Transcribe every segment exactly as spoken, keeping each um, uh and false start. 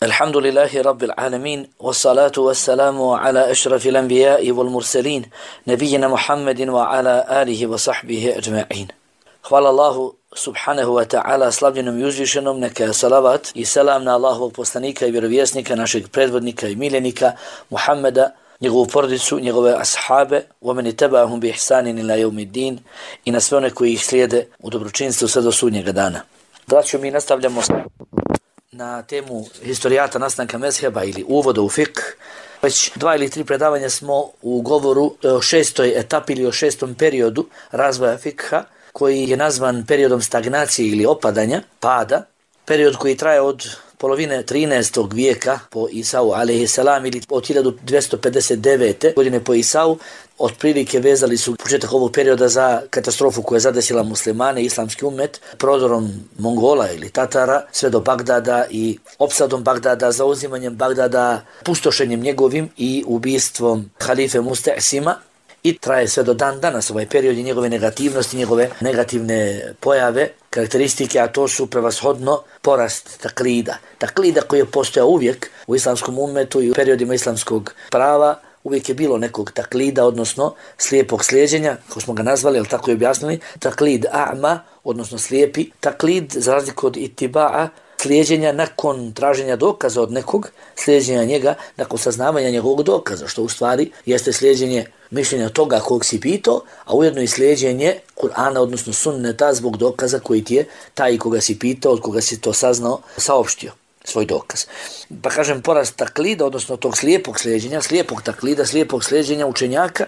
الحمد لله رب العالمين والصلاة والسلام على أشرف الأنبياء والمرسلين نبينا محمد وعلى آله وصحبه أجمعين. Hvala Allahu subhanahu wa ta'ala, slavljenom i uzvišenom, neka salavat i selam na Allahovog poslanika i vjerovjesnika, našeg predvodnika i miljenika Muhammeda, njegovu porodicu, njegove ashabe, وَمَنِ تَبَعَهُمْ بِإِحْسَانٍ إِلَى يَوْمِ الدِّينِ, i na sve one koji ih slijede u dobročinstvu sve do sudnjega dana. Braćo, mi nastavljamo na temu historijata nastanka mezheba ili uvoda u fik. Već dva ili tri predavanja smo u govoru o šestoj etapi ili o šestom periodu razvoja fikha, koji je nazvan periodom stagnacije ili opadanja, pada, period koji traje od polovine trinaestog vijeka po Isau alejhiselam ili od hiljadu dvjesto pedeset devete. godine po Isau. Otprilike vezali su početak ovog perioda za katastrofu koja je zadesila muslimane, islamski umet, prodorom Mongola ili Tatara sve do Bagdada i opsadom Bagdada, zauzimanjem Bagdada, pustošenjem njegovim i ubistvom halife Musta'sima. I traje sve do dan danas ovaj period i njegove negativnosti, njegove negativne pojave, karakteristike, a to su prevashodno porast taklida. Taklida koji je postojao uvijek u islamskom umetu i u periodima islamskog prava, uvijek je bilo nekog taklida, odnosno slijepog slijeđenja, kako smo ga nazvali, ali tako je objasnili, taklid a'ma, odnosno slijepi, taklid za razliku od itiba'a, slijeđenja nakon traženja dokaza od nekog, slijeđenja njega nakon saznavanja njegovog dokaza, što u stvari jeste slijeđenje mišljenja toga kog si pitao, a ujedno i slijeđenje Kur'ana, odnosno sunneta zbog dokaza koji ti je taj koga si pitao, od koga si to saznao, saopštio svoj dokaz. Pa kažem, porast taklida, odnosno tog slijepog slijeđenja, slijepog taklida, slijepog slijeđenja učenjaka,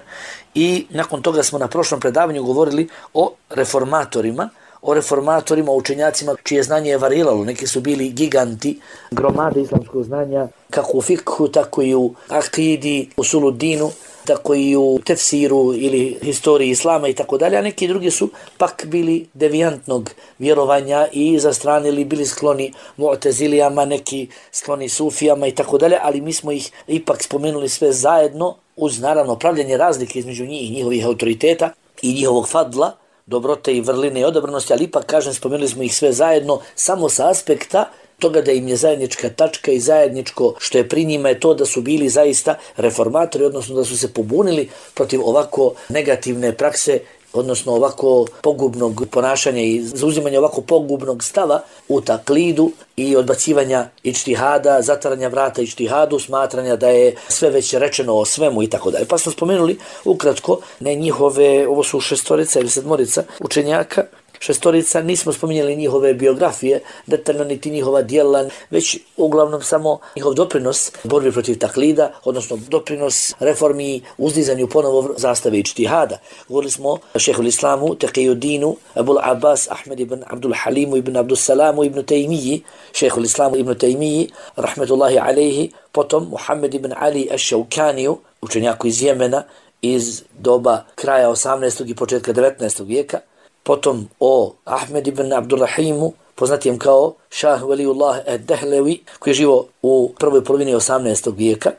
i nakon toga smo na prošlom predavanju govorili o reformatorima, o reformatorima, o učenjacima čije znanje je variralo. Neki su bili giganti, gromade islamskog znanja, kako u fikhu, tako i u akidi, u suludinu, tako i u tefsiru ili historiji islama i tako dalje, a neki drugi su pak bili devijantnog vjerovanja i zastranili, bili skloni mu'tezilijama, neki skloni sufijama i tako dalje, ali mi smo ih ipak spomenuli sve zajedno uz naravno pravljanje razlike između njih i njihovih autoriteta i njihovog fadla, dobrote i vrline i odabranosti, ali ipak, kažem, spomenuli smo ih sve zajedno samo sa aspekta toga da im je zajednička tačka i zajedničko što je pri njima je to da su bili zaista reformatori, odnosno da su se pobunili protiv ovako negativne prakse, odnosno ovako pogubnog ponašanja i zauzimanja ovako pogubnog stava u taklidu i odbacivanja ičtihada, zatvaranja vrata ičtihadu, smatranja da je sve već rečeno o svemu i tako dalje. Pa smo spomenuli ukratko ne njihove, ovo su šestorica ili sedmorica učenjaka, šestorica, nismo spominjali njihove biografije, detaljno niti njihova djela, već uglavnom samo njihov doprinos borbi protiv taklida, odnosno doprinos reformi, uzdizanju ponovo zastave ičtihada. Govorili smo o šehhul islamu, Taqiyuddinu, Abul Abbas, Ahmed ibn Abdul Halimu, ibn Abdul Salamu, ibn Taymiji, šehhul islamu ibn Taymiji, rahmetullahi alejhi, potom Muhammed ibn Ali ash-Shawkaniju, učenjaku iz Jemena, iz doba kraja osamnaestog i početka devetnaestog vijeka, potom o Ahmed ibn Abdurrahimu, poznatijem kao Šah Veliullah ad-Dehlevi, koji je živo u prvoj polovini osamnaestog vijeka.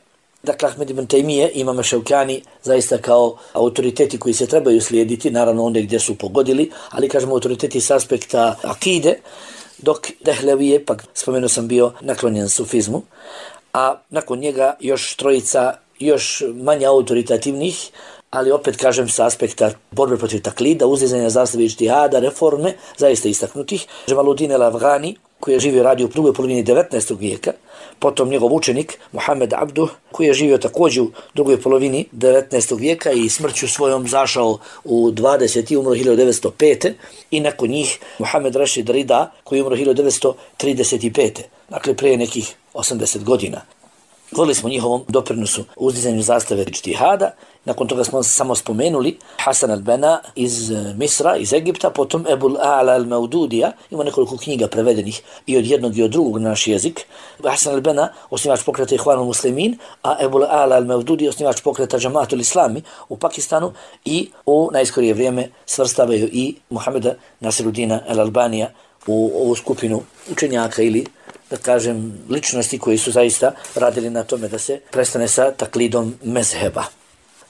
Dakle, Ahmed ibn Taymije, Imam Ševkani, zaista kao autoriteti koji se trebaju slijediti, naravno onda gdje su pogodili, ali kažemo autoriteti s aspekta akide, dok Dehlevi je, pak spomenuo sam, bio naklonjen sufizmu, a nakon njega još trojica još manje autoritativnih, ali opet kažem sa aspekta borbe protiv taklida, uzdizanja zastave ičtihada, reforme, zaista istaknutih. Džemaluddin el-Afghani, koji je živio radio u drugoj polovini devetnaestog vijeka, potom njegov učenik Muhammed Abduh, koji je živio također u drugoj polovini devetnaestog vijeka i smrću svojom zašao u dvadeseti, umro hiljadu devetsto pete. i nakon njih Muhammed Rashid Rida, koji je umro hiljadu devetsto trideset pete. Dakle, prije nekih osamdeset godina. Govorili smo njihovom doprinosu uzdizanju zastave ičtihada. Nakon toga smo samo spomenuli Hasan al-Bena iz Misra, iz Egipta, potom Ebul A'la al-Maududija, ima nekoliko knjiga prevedenih i od jednog i od drugog na naš jezik. Hasan al-Bena, osnivač pokreta Ihwanul Muslimin, a Ebul A'la al-Maududi, osnivač pokreta Džamatul Islami u Pakistanu, i u najskorije vrijeme svrstavaju i Muhameda Nasiruddina al-Albanija u ovu skupinu učenjaka ili, da kažem, ličnosti koji su zaista radili na tome da se prestane sa taklidom mezheba.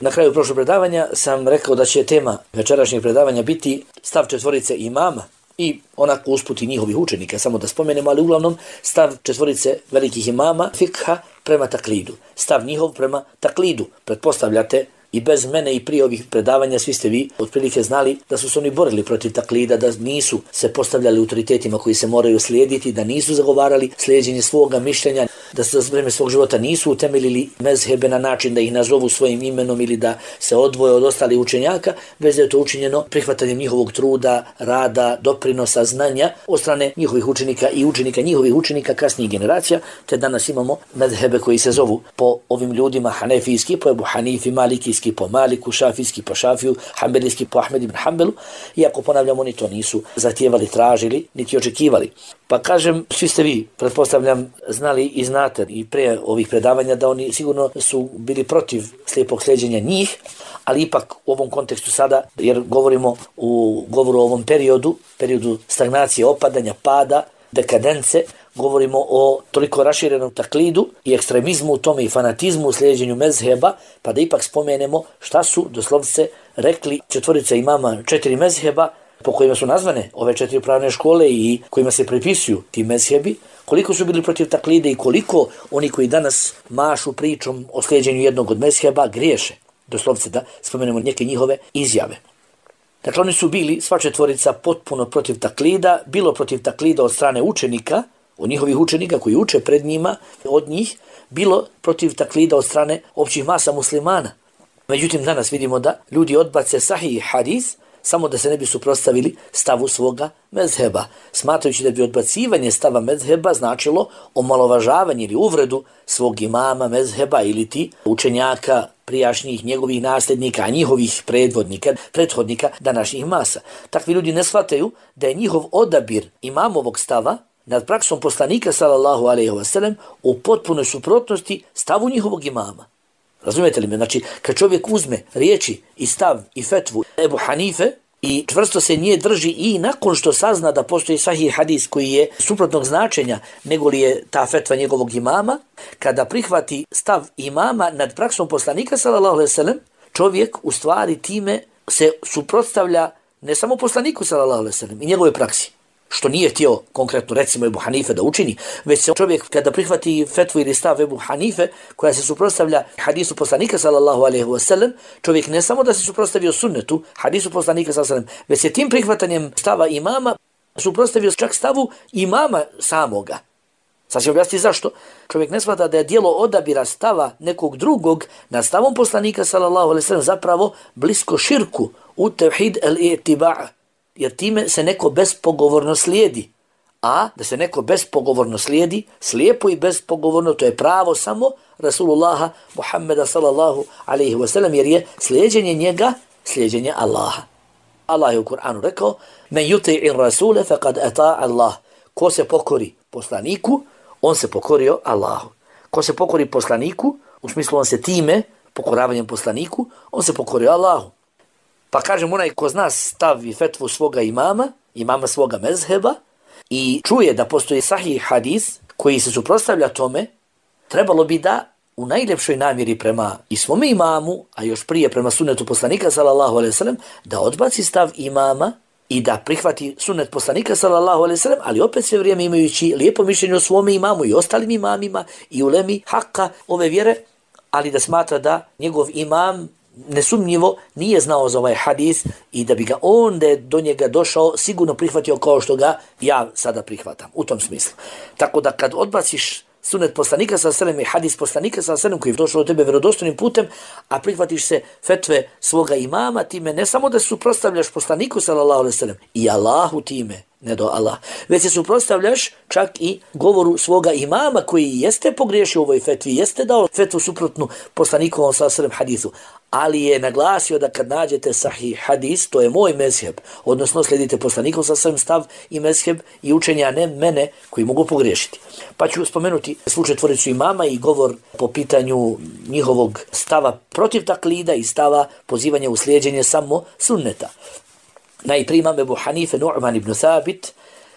Na kraju prošlog predavanja sam rekao da će tema večerašnjeg predavanja biti stav četvorice imama i onako usputi njihovih učenika, samo da spomenemo, ali uglavnom stav četvorice velikih imama fikha prema taklidu. Stav njihov prema taklidu. Pretpostavljate, i bez mene i prije ovih predavanja svi ste vi otprilike znali da su se oni borili protiv taklida, da nisu se postavljali autoritetima koji se moraju slijediti, da nisu zagovarali slijeđenje svoga mišljenja, da se za vreme svog života nisu utemeljili mezhebe na način da ih nazovu svojim imenom ili da se odvoje od ostalih učenjaka, već da je to učinjeno prihvatanjem njihovog truda, rada, doprinosa, znanja od strane njihovih učenika i učenika njihovih učenika kasnijih generacija, te danas imamo mezhebe koji se zovu po ovim ljudima hanefijski, po Ebu Hanifi, malikijski, po Maliku, šafijski po Šafiju, hanbelijski po Ahmed ibn Hanbelu, iako ponavljam oni to nisu zahtijevali, tražili, niti očekivali. Pa kažem, svi ste vi, pretpostavljam, znali i znate i pre ovih predavanja da oni sigurno su bili protiv slijepog sljeđenja njih, ali ipak u ovom kontekstu sada, jer govorimo u govoru o ovom periodu, periodu stagnacije, opadanja, pada, dekadence, govorimo o toliko raširenom taklidu i ekstremizmu u tome i fanatizmu u slijeđenju mezheba, pa da ipak spomenemo šta su doslovce rekli četvorica imama četiri mezheba po kojima su nazvane ove četiri pravne škole i kojima se pripisuju ti mezhebi, koliko su bili protiv taklide i koliko oni koji danas mašu pričom o slijeđenju jednog od mezheba griješe. Doslovce da spomenemo neke njihove izjave. Dakle, oni su bili, sva četvorica, potpuno protiv taklida, bilo protiv taklida od strane učenika, od njihovih učenika koji uče pred njima, od njih, bilo protiv taklida od strane općih masa muslimana. Međutim, danas vidimo da ljudi odbace sahih hadis, samo da se ne bi suprotstavili stavu svoga mezheba, smatrajući da bi odbacivanje stava mezheba značilo omalovažavanje ili uvredu svog imama mezheba ili ti učenjaka prijašnjih njegovih nasljednika, a njihovih predvodnika, prethodnika današnjih masa. Takvi ljudi ne shvataju da je njihov odabir imamovog stava nad praksom poslanika sallallahu alejhi ve sellem u potpunoj suprotnosti stavu njihovog imama. Razumijete li me? Znači, kad čovjek uzme riječi i stav i fetvu Ebu Hanife i čvrsto se nje drži i nakon što sazna da postoji sahih hadis koji je suprotnog značenja nego li je ta fetva njegovog imama, kada prihvati stav imama nad praksom poslanika sallallahu alejhi ve sellem, čovjek u stvari time se suprotstavlja ne samo poslaniku sallallahu alejhi ve sellem i njegove praksi, što nije htio konkretno recimo Ebu Hanife da učini, već se čovjek kada prihvati fetvu ili stav Ebu Hanife koja se suprotstavlja hadisu poslanika sallallahu alejhi ve sellem, čovjek ne samo da se suprotstavio sunnetu, hadisu poslanika sallallahu alejhi ve sellem, već se tim prihvatanjem stava imama suprotstavio čak stavu imama samoga. Sad ću objasniti zašto. Čovjek ne shvata da je dijelo odabira stava nekog drugog nad stavom poslanika sallallahu alejhi ve sellem zapravo blisko širku u tevhid el-i'tiba'. Jer time se neko bespogovorno slijedi. A da se neko bespogovorno slijedi, slijepo i bespogovorno, to je pravo samo Rasulullaha Muhammeda sallallahu alaihi wa sallam, jer je slijeđenje njega, slijeđenje Allaha. Allah je u Kur'anu rekao, men yuti'ir rasule faqad ata'a Allah. Ko se pokori poslaniku, on se pokorio Allahu. Ko se pokori poslaniku, u smislu on se time, pokoravanjem poslaniku, on se pokorio Allahu. Pa kažem, onaj ko zna stav i fetvu svoga imama, imama svoga mezheba, i čuje da postoji sahih hadis koji se suprotstavlja tome, trebalo bi da u najljepšoj namjeri prema i svome imamu, a još prije prema sunnetu poslanika sallallahu alejhi ve sellem, da odbaci stav imama i da prihvati sunnet poslanika sallallahu alejhi ve sellem, ali opet sve vrijeme imajući lijepo mišljenje o svome imamu i ostalim imamima i ulemi hakka ove vjere, ali da smatra da njegov imam nesumnjivo nije znao za ovaj hadis i da bi ga on da je do njega došao sigurno prihvatio kao što ga ja sada prihvatam. U tom smislu. Tako da kad odbaciš sunnet poslanika sallallahu alejhi ve sellem i hadis poslanika sallallahu alejhi ve sellem koji je došao do tebe vjerodostojnim putem, a prihvatiš se fetve svoga imama, time ne samo da suprotstavljaš poslaniku sallallahu alejhi ve sellem i Allahu time, ne do Allah, već se suprotstavljaš čak i govoru svoga imama koji jeste pogriješio u ovoj fetvi, jeste dao fetvu suprotnu poslanikovom sallallahu alejhi ve sellem hadisu, ali je naglasio da kad nađete sahih hadis, to je moj mezheb, odnosno slijedite poslanikov sallallahu alejhi ve sellem stav i mezheb i učenja, ne mene koji mogu pogriješiti. Pa ću spomenuti slučaj tvoricu imama i govor po pitanju njihovog stava protiv taklida i stava pozivanja u slijeđenje samo sunneta. Najprije imam Ebu Hanife Nu'man ibn Thabit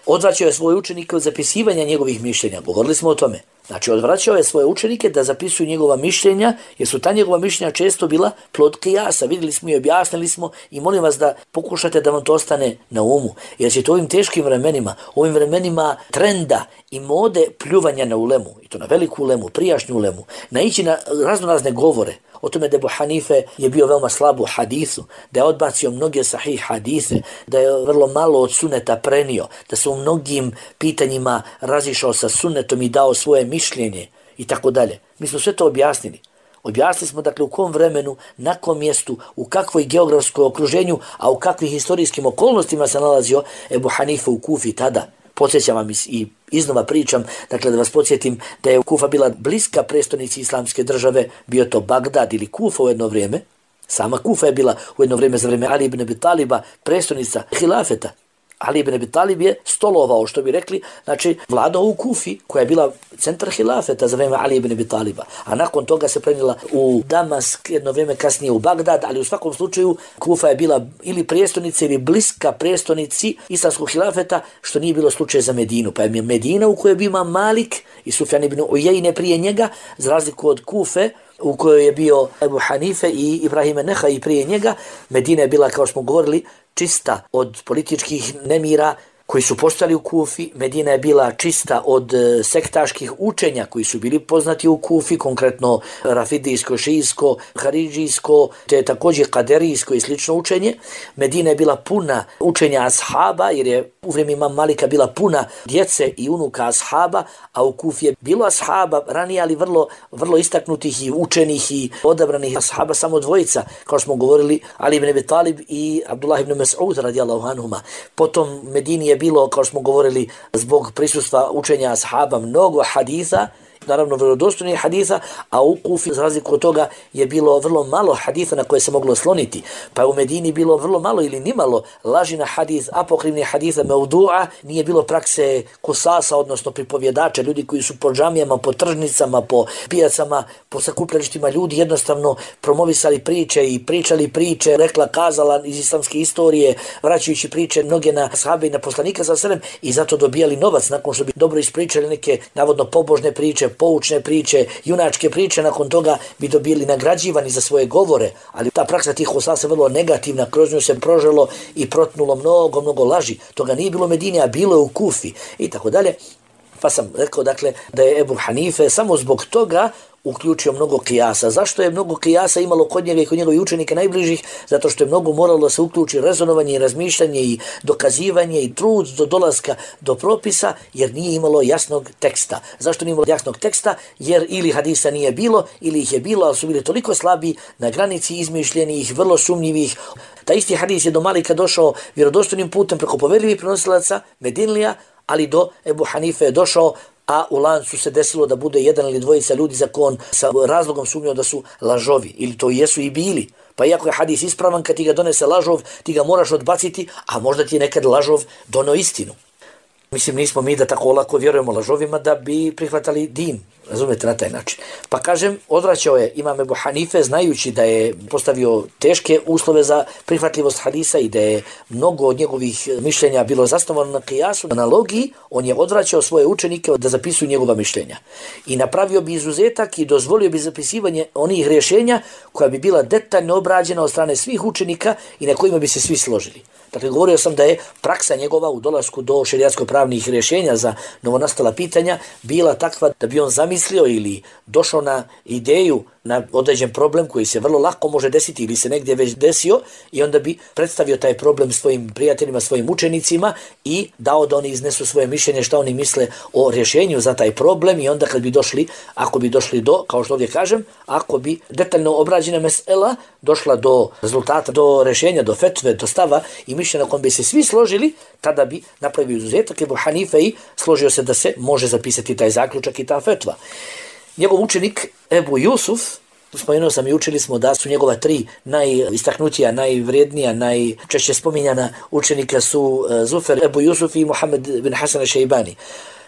odvraćao je svoje učenike od zapisivanja njegovih mišljenja. Govorili smo o tome. Znači, odvraćao je svoje učenike da zapisuju njegova mišljenja, jer su ta njegova mišljenja često bila plod kijasa. Vidjeli smo i objasnili smo i molim vas da pokušate da vam to ostane na umu. Jer ćete u ovim teškim vremenima, ovim vremenima trenda i mode pljuvanja na ulemu, i to na veliku ulemu, prijašnju ulemu, naići na raznorazne govore o tome da Ebu Hanife je bio veoma slab u hadisu, da je odbacio mnoge sahih hadise, da je vrlo malo od suneta prenio, da se u mnogim pitanjima razišao sa sunetom i dao svoje mišljenje i tako dalje. Mi smo sve to objasnili. Objasnili smo dakle u kom vremenu, na kom mjestu, u kakvoj geografskoj okruženju, a u kakvih historijskim okolnostima se nalazio Ebu Hanife u Kufi tada. Podsjećam vam i iznova pričam, dakle da vas podsjetim da je Kufa bila bliska prestonici islamske države, bio to Bagdad ili Kufa u jedno vrijeme. Sama Kufa je bila u jedno vrijeme za vrijeme Ali ibn Abi Taliba prestonica hilafeta. Ali ibn Abi Talib je stolovao, što bi rekli, znači vladao u Kufi, koja je bila centar hilafeta za vrijeme Ali ibn Abi Taliba. A nakon toga se prenijela u Damask, jedno vrijeme kasnije u Bagdad, ali u svakom slučaju Kufa je bila ili prestonica ili bliska prestonici islamskog hilafeta, što nije bilo slučaj za Medinu. Pa je Medina u kojoj je bio Imam Malik i Sufjan ibn Ujejne prije njega, za razliku od Kufe, u kojoj je bio Ebu Hanife i Ibrahim Nehaj prije njega. Medina je bila, kao smo govorili, čista od političkih nemira koji su postali u Kufi. Medina je bila čista od sektaških učenja koji su bili poznati u Kufi, konkretno rafidijsko, šijsko, haridžijsko, te također kaderijsko i slično učenje. Medina je bila puna učenja ashaba, jer je u vrijeme Imam Malika bila puna djece i unuka ashaba, a u Kufi je bilo ashaba ranije, ali vrlo, vrlo istaknutih i učenih i odabranih ashaba, samo dvojica, kao smo govorili, Ali ibn Abi Talib i Abdullah ibn Mas'ud radijallahu anhuma. Potom Medini je bilo, kao smo govorili, zbog prisustva učenja ashaba mnogo haditha, naravno vjerodostojnih haditha, a u Kufi za razliku od toga je bilo vrlo malo haditha na koje se moglo sloniti. Pa je u Medini bilo vrlo malo ili nimalo laži na hadith, apokrivni haditha mevdu'a, nije bilo prakse kusasa, odnosno pripovjedača, ljudi koji su po džamijama, po tržnicama, po pijacama, po sakupljalištima ljudi jednostavno promovisali priče i pričali priče, rekla, kazala iz islamske istorije, vraćajući priče mnoge na ashabe i na poslanika sa selem, i zato dobijali novac nakon što bi dobro ispričali neke navodno pobožne priče, poučne priče, junačke priče, nakon toga bi dobili nagrađivani za svoje govore, ali ta praksa tih hosasa je vrlo negativna, kroz nju se proželo i protnulo mnogo, mnogo laži. Toga nije bilo u Medini, a bilo je u Kufi i tako dalje. Pa sam rekao dakle da je Ebu Hanife samo zbog toga uključio mnogo kijasa. Zašto je mnogo kijasa imalo kod njega i kod njegovih učenika najbližih? Zato što je mnogo moralo da se uključi rezonovanje i razmišljanje i dokazivanje i trud do dolaska do propisa, jer nije imalo jasnog teksta. Zašto nije imalo jasnog teksta? Jer ili hadisa nije bilo, ili ih je bilo, ali su bili toliko slabi na granici izmišljenih, vrlo sumnjivih. Ta isti hadis je do Malika došao vjerodostojnim putem preko poverljivih prenosilaca Medinlija, ali do Ebu Hanife je došao, a u lancu se desilo da bude jedan ili dvojica ljudi za kon sa razlogom sumnjao da su lažovi, ili to jesu i bili. Pa iako je hadis ispravan, kad ti ga donese lažov, ti ga moraš odbaciti, a možda ti je nekad lažov donio istinu. Mislim, nismo mi da tako lako vjerujemo lažovima da bi prihvatali din, razumete, na taj način. Pa kažem, odvraćao je Imam Ebu Hanife, znajući da je postavio teške uslove za prihvatljivost hadisa i da je mnogo od njegovih mišljenja bilo zasnovano na kijasu, na logiji, on je odvraćao svoje učenike da zapisuju njegova mišljenja. I napravio bi izuzetak i dozvolio bi zapisivanje onih rješenja koja bi bila detaljno obrađena od strane svih učenika i na kojima bi se svi složili. Dakle, govorio sam da je praksa njegova u dolasku do šerijatsko-pravnih rješenja za novonastala pitanja bila takva da bi on zamislio ili došao na ideju na određen problem koji se vrlo lako može desiti ili se negdje već desio, i onda bi predstavio taj problem svojim prijateljima, svojim učenicima i dao da oni iznesu svoje mišljenje šta oni misle o rješenju za taj problem, i onda kad bi došli, ako bi došli do, kao što ovdje kažem, ako bi detaljno obrađena mesela došla do rezultata, do rješenja, do fetve, do stava i mišljenja na kom bi se svi složili, tada bi napravio izuzetak Ebu Hanife i složio se da se može zapisati taj zaključak i ta fetva. Njegov učenik Ebu Jusuf, spomenuo sam i učili smo da su njegova tri najistaknutija, najvrijednija, najčešće spominjana učenika su Zufer, Ebu Jusuf i Muhammed bin Hasan al-Šejbani.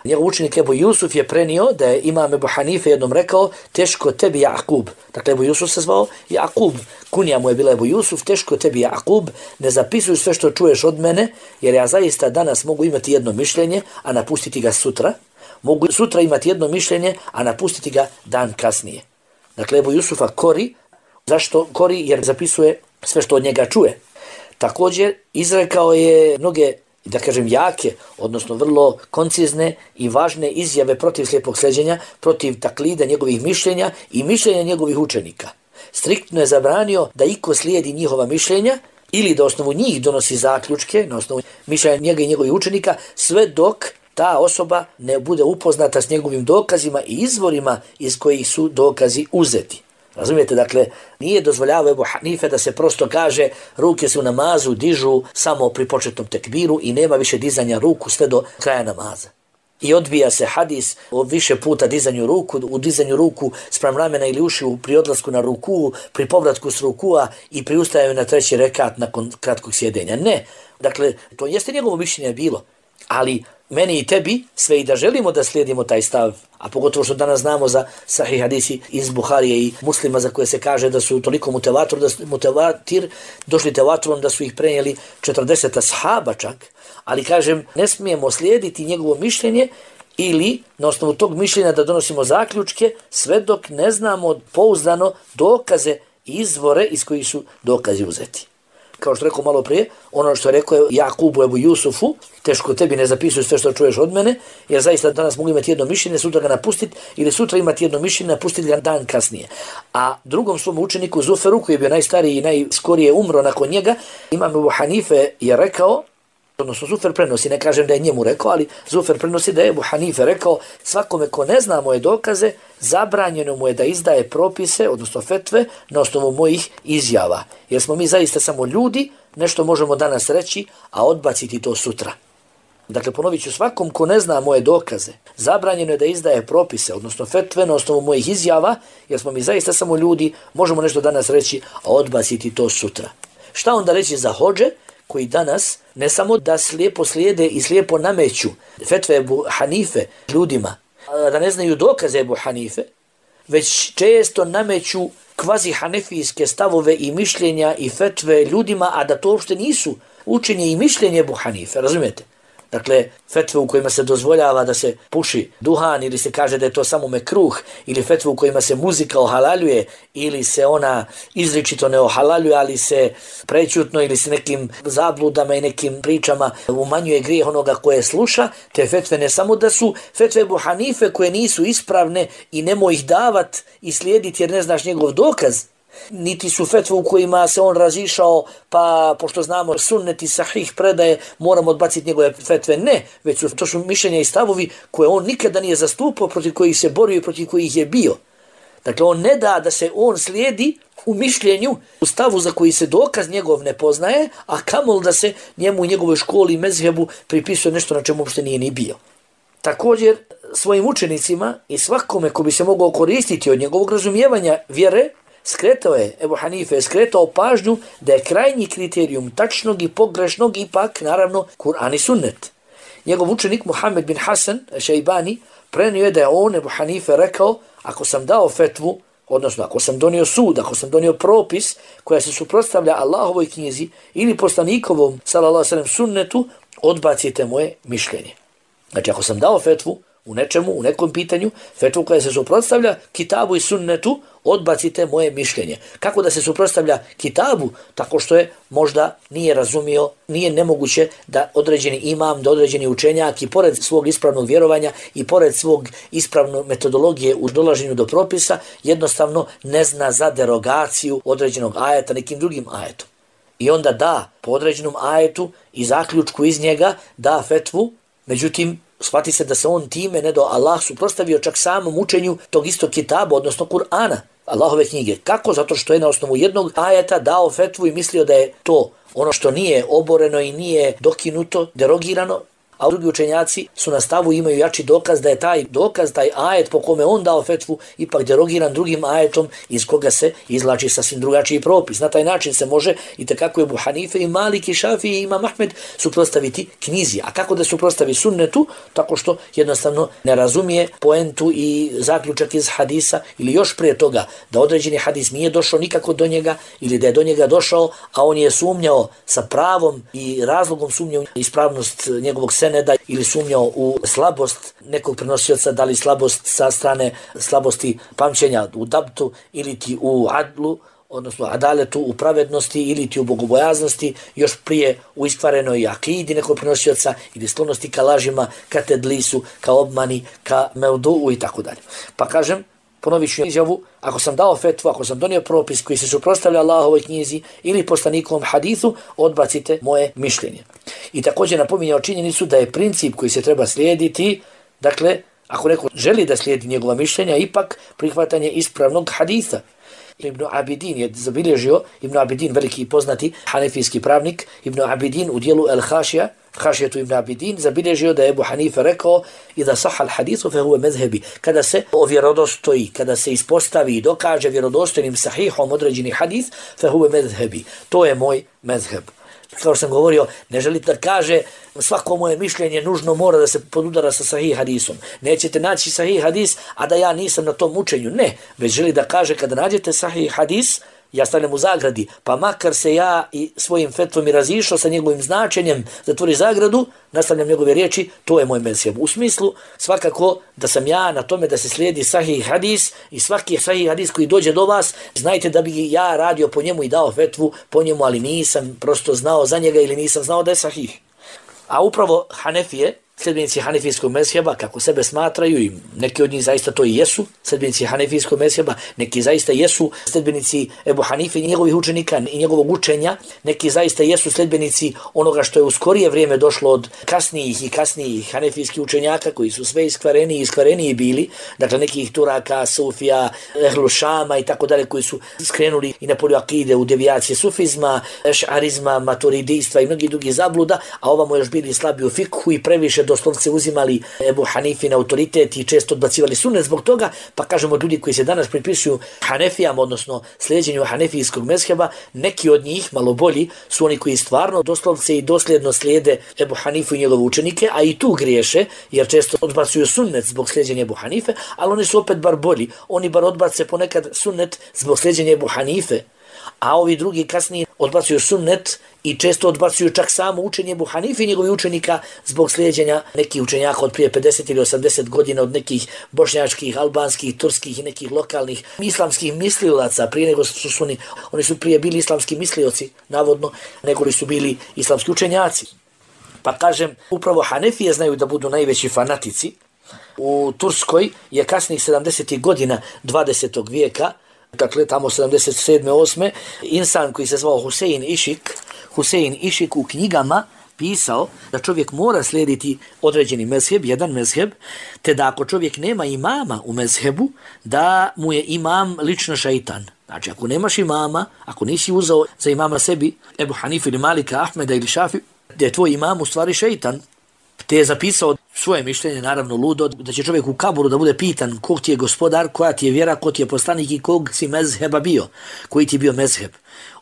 Njegov učenik Ebu Jusuf je prenio da je Imam Ebu Hanife jednom rekao: teško tebi Jakub. Dakle, Ebu Jusuf se zvao Jakub. Kunija mu je bila Ebu Jusuf: teško tebi Jakub, ne zapisuj sve što čuješ od mene, jer ja zaista danas mogu imati jedno mišljenje, a napustiti ga sutra. mogu sutra imati jedno mišljenje, a napustiti ga dan kasnije. Dakle, Ebu Jusufa kori. Zašto kori? Jer zapisuje sve što od njega čuje. Također, izrekao je mnoge, da kažem, jake, odnosno vrlo koncizne i važne izjave protiv slijepog sleđenja, protiv taklida njegovih mišljenja i mišljenja njegovih učenika. Striktno je zabranio da iko slijedi njihova mišljenja ili da osnovu njih donosi zaključke, na osnovu mišljenja njega i njegovih učenika, sve dok ta osoba ne bude upoznata s njegovim dokazima i izvorima iz kojih su dokazi uzeti. Razumijete, dakle, nije dozvoljavao Ebu Hanife da se prosto kaže ruke se u namazu dižu samo pri početnom tekbiru i nema više dizanja ruku sve do kraja namaza. I odbija se hadis o više puta dizanju ruku, u dizanju ruku spram ramena ili ušiju pri odlasku na ruku, pri povratku s rukua i pri ustajanju na treći rekat nakon kratkog sjedenja. Ne, dakle, to jeste njegovo mišljenje bilo, ali meni i tebi, sve i da želimo da slijedimo taj stav, a pogotovo što danas znamo za sahih hadisi iz Buharije i Muslima za koje se kaže da su toliko mutevatir, da su, mutevatir došli tevaturom da su ih prenijeli četrdeset ashaba čak, ali kažem, ne smijemo slijediti njegovo mišljenje ili na osnovu tog mišljenja da donosimo zaključke sve dok ne znamo pouzdano dokaze i izvore iz kojih su dokazi uzeti. Kao što rekao malo prije, ono što je rekao Jakubu Ebu Jusufu, teško tebi ne zapisuj sve što čuješ od mene, jer zaista danas mogu imati jedno mišljenje, sutra ga napustiti, ili sutra imati jedno mišljenje, napustiti ga dan kasnije. A drugom svom učeniku Zuferu, koji je bio najstariji i najskorije umro nakon njega, imam Ebu Hanife je rekao, odnosno Zufer prenosi, ne kažem da je njemu rekao, ali Zufer prenosi da je Ebu Hanife rekao, svakome ko ne zna moje dokaze, zabranjeno mu je da izdaje propise, odnosno fetve, na osnovu mojih izjava. Jer smo mi zaista samo ljudi, nešto možemo danas reći, a odbaciti to sutra. Dakle, ponovit ću, svakom ko ne zna moje dokaze, zabranjeno je da izdaje propise, odnosno fetve, na osnovu mojih izjava, jer smo mi zaista samo ljudi, možemo nešto danas reći, a odbaciti to sutra. Šta onda reći za hodže, koji danas ne samo da slijepo slijede i slijepo nameću fetve Ebu Hanife ljudima, da ne znaju dokaze Ebu Hanife, već često nameću kvazi hanefijske stavove i mišljenja i fetve ljudima, a da to uopšte nisu učenje i mišljenje Ebu Hanife, razumijete? Dakle, fetve u kojima se dozvoljava da se puši duhan ili se kaže da je to samo mekruh, ili fetve u kojima se muzika ohalaljuje ili se ona izričito ne ohalaljuje, ali se prećutno ili se nekim zabludama i nekim pričama umanjuje grijeh onoga koje sluša, te fetve ne samo da su fetve Ebu Hanife koje nisu ispravne i nemoj ih davat i slijediti jer ne znaš njegov dokaz, niti su fetve u kojima se on razišao, pa pošto znamo sunnet i sahih predaje, moramo odbaciti njegove fetve. Ne, već su to su mišljenja i stavovi koje on nikada nije zastupao, protiv kojih se borio i protiv kojih je bio. Dakle, on ne da da se on slijedi u mišljenju, u stavu za koji se dokaz njegov ne poznaje, a kamol da se njemu u njegovoj školi i mezhebu pripisuje nešto na čemu uopšte nije ni bio. Također, svojim učenicima i svakome ko bi se mogao koristiti od njegovog razumijevanja vjere, skretao je, Ebu Hanife je skretao pažnju da je krajnji kriterijum tačnog i pogrešnog ipak, naravno, Kur'an i sunnet. Njegov učenik Muhammed bin Hasan Šejbani prenio je da je on, Ebu Hanife, rekao, ako sam dao fetvu, odnosno ako sam donio sud, ako sam donio propis koja se suprotstavlja Allahovoj knjizi ili poslanikovom, sallallahu alejhi ve sellem, sunnetu, odbacite moje mišljenje. Znači, ako sam dao fetvu u nečemu, u nekom pitanju, fetvu koja se suprotstavlja kitabu i sunnetu, odbacite moje mišljenje. Kako da se suprotstavlja kitabu? Tako što je možda nije razumio, nije nemoguće da određeni imam, da određeni učenjak i pored svog ispravnog vjerovanja i pored svog ispravnog metodologije u dolaženju do propisa, jednostavno ne zna za derogaciju određenog ajeta nekim drugim ajetom. I onda da po određenom ajetu i zaključku iz njega da fetvu, međutim, shvati se da se on time ne do Allah suprotstavio čak samom učenju tog istog kitaba, odnosno Kur'ana, Allahove knjige. Kako? Zato što je na osnovu jednog ajeta dao fetvu i mislio da je to ono što nije oboreno i nije dokinuto, derogirano, a drugi učenjaci su na stavu, imaju jači dokaz da je taj dokaz, taj ajet po kome on dao fetvu, ipak derogiran drugim ajetom iz koga se izlači sasvim drugačiji propis. Na taj način se može i tekako Ebu Hanife i Malik i Šafiji i Imam Ahmed suprotstaviti knjizi. A kako da suprotstavi sunnetu? Tako što jednostavno ne razumije poentu i zaključak iz hadisa, ili još prije toga da određeni hadis nije došao nikako do njega ili da je do njega došao, a on je sumnjao sa pravom i razlogom sumnjao ispravnost njegovog sena seneda ili sumnjao u slabost nekog prenosioca, da li slabost sa strane slabosti pamćenja u dabtu ili ti u adlu, odnosno adaletu, u pravednosti ili ti u bogobojaznosti, još prije u iskvarenoj akidi nekog prenosioca ili sklonosti ka lažima, ka tedlisu, ka obmani, ka meudu i tako dalje. Pa kažem, ponovit ću izjavu, ako sam dao fetvu, ako sam donio propis koji se suprotstavlja Allahovoj knjizi ili poslanikovom hadithu, odbacite moje mišljenje. I također napominjao činjenicu da je princip koji se treba slijediti, dakle, ako neko želi da slijedi njegova mišljenja, ipak prihvatanje ispravnog haditha. Ibn Abidin je zabilježio, Ibn Abidin, veliki i poznati hanefijski pravnik, Ibn Abidin u dijelu El-Hašija, Hašijetu Ibn Abidin, zabilježio da je Ebu Hanife rekao iza sahal hadithu fe huve mezhebi. Kada se ovjerodostoji, kada se ispostavi i dokaže vjerodostojnim sahihom određeni hadith, fe huve mezhebi. To je moj mezheb. Kao što sam govorio, ne želi da kaže svako moje mišljenje nužno mora da se podudara sa sahih hadisom. Nećete naći sahih hadis, a da ja nisam na tom učenju. Ne, već želi da kaže kada nađete sahih hadis, ja stavljam u zagradi, pa makar se ja i svojim fetvom i razišao sa njegovim značenjem, zatvori zagradu, nastavljam njegove riječi, to je moj mezheb. U smislu, svakako da sam ja na tome da se slijedi sahih hadis i svaki sahih hadis koji dođe do vas, znajte da bi ja radio po njemu i dao fetvu po njemu, ali nisam prosto znao za njega ili nisam znao da je sahih. A upravo Hanefije, sljedbenici hanefijskog mezheba, kako sebe smatraju, i neki od njih zaista to i jesu, sljedbenici hanefijskog mezheba, neki zaista jesu sljedbenici Ebu Hanife i njegovih učenika i njegovog učenja, neki zaista jesu sljedbenici onoga što je u skorije vrijeme došlo od kasnijih i kasnijih hanefijskih učenjaka koji su sve iskvareniji i iskvareniji bili, dakle nekih Turaka, Sufija, Ehlu Šama i tako dalje, koji su skrenuli i na polju akide u devijacije sufizma, ešarizma, maturidijstva i mnogi drugi zabluda, a ovamo još bili slabi u fikhu i previše doslovce uzimali Ebu Hanifin autoritet i često odbacivali sunnet zbog toga, pa kažemo ljudi koji se danas pripisuju Hanefijama, odnosno slijedjenju hanefijskog mezheba, neki od njih, malo bolji, su oni koji stvarno doslovce i dosljedno slijede Ebu Hanifu i njegove učenike, a i tu griješe, jer često odbacuju sunnet zbog slijedjenja Ebu Hanife, ali oni su opet bar bolji, oni bar odbace ponekad sunnet zbog slijedjenja Ebu Hanife, a ovi drugi kasnije odbacuju sunnet i često odbacuju čak samo učenje Ebu Hanife i njegovih učenika zbog slijedjenja nekih učenjaka od prije pedeset ili osamdeset godina, od nekih bošnjačkih, albanskih, turskih i nekih lokalnih islamskih mislilaca, prije nego su, su oni, oni su prije bili islamski mislioci, navodno, nego li su bili islamski učenjaci. Pa kažem, upravo Hanefije znaju da budu najveći fanatici. U Turskoj je kasnih sedamdesetih godina dvadesetog vijeka, dakle tamo sedamdeset sedme osme insan koji se zvao Husein Išik, Husein Išik u knjigama pisao da čovjek mora slijediti određeni mezheb, jedan mezheb, te da ako čovjek nema imama u mezhebu, da mu je imam lično šeitan. Znači, ako nemaš imama, ako nisi uzao za imama sebi Ebu Hanife ili Malika, Ahmeda ili Šafi, da je tvoj imam u stvari šeitan. Te je zapisao svoje mišljenje, naravno ludo, da će čovjek u kaburu da bude pitan kog ti je gospodar, koja ti je vjera, ko ti je poslanik i kog si mezheba bio, koji ti je bio mezheb.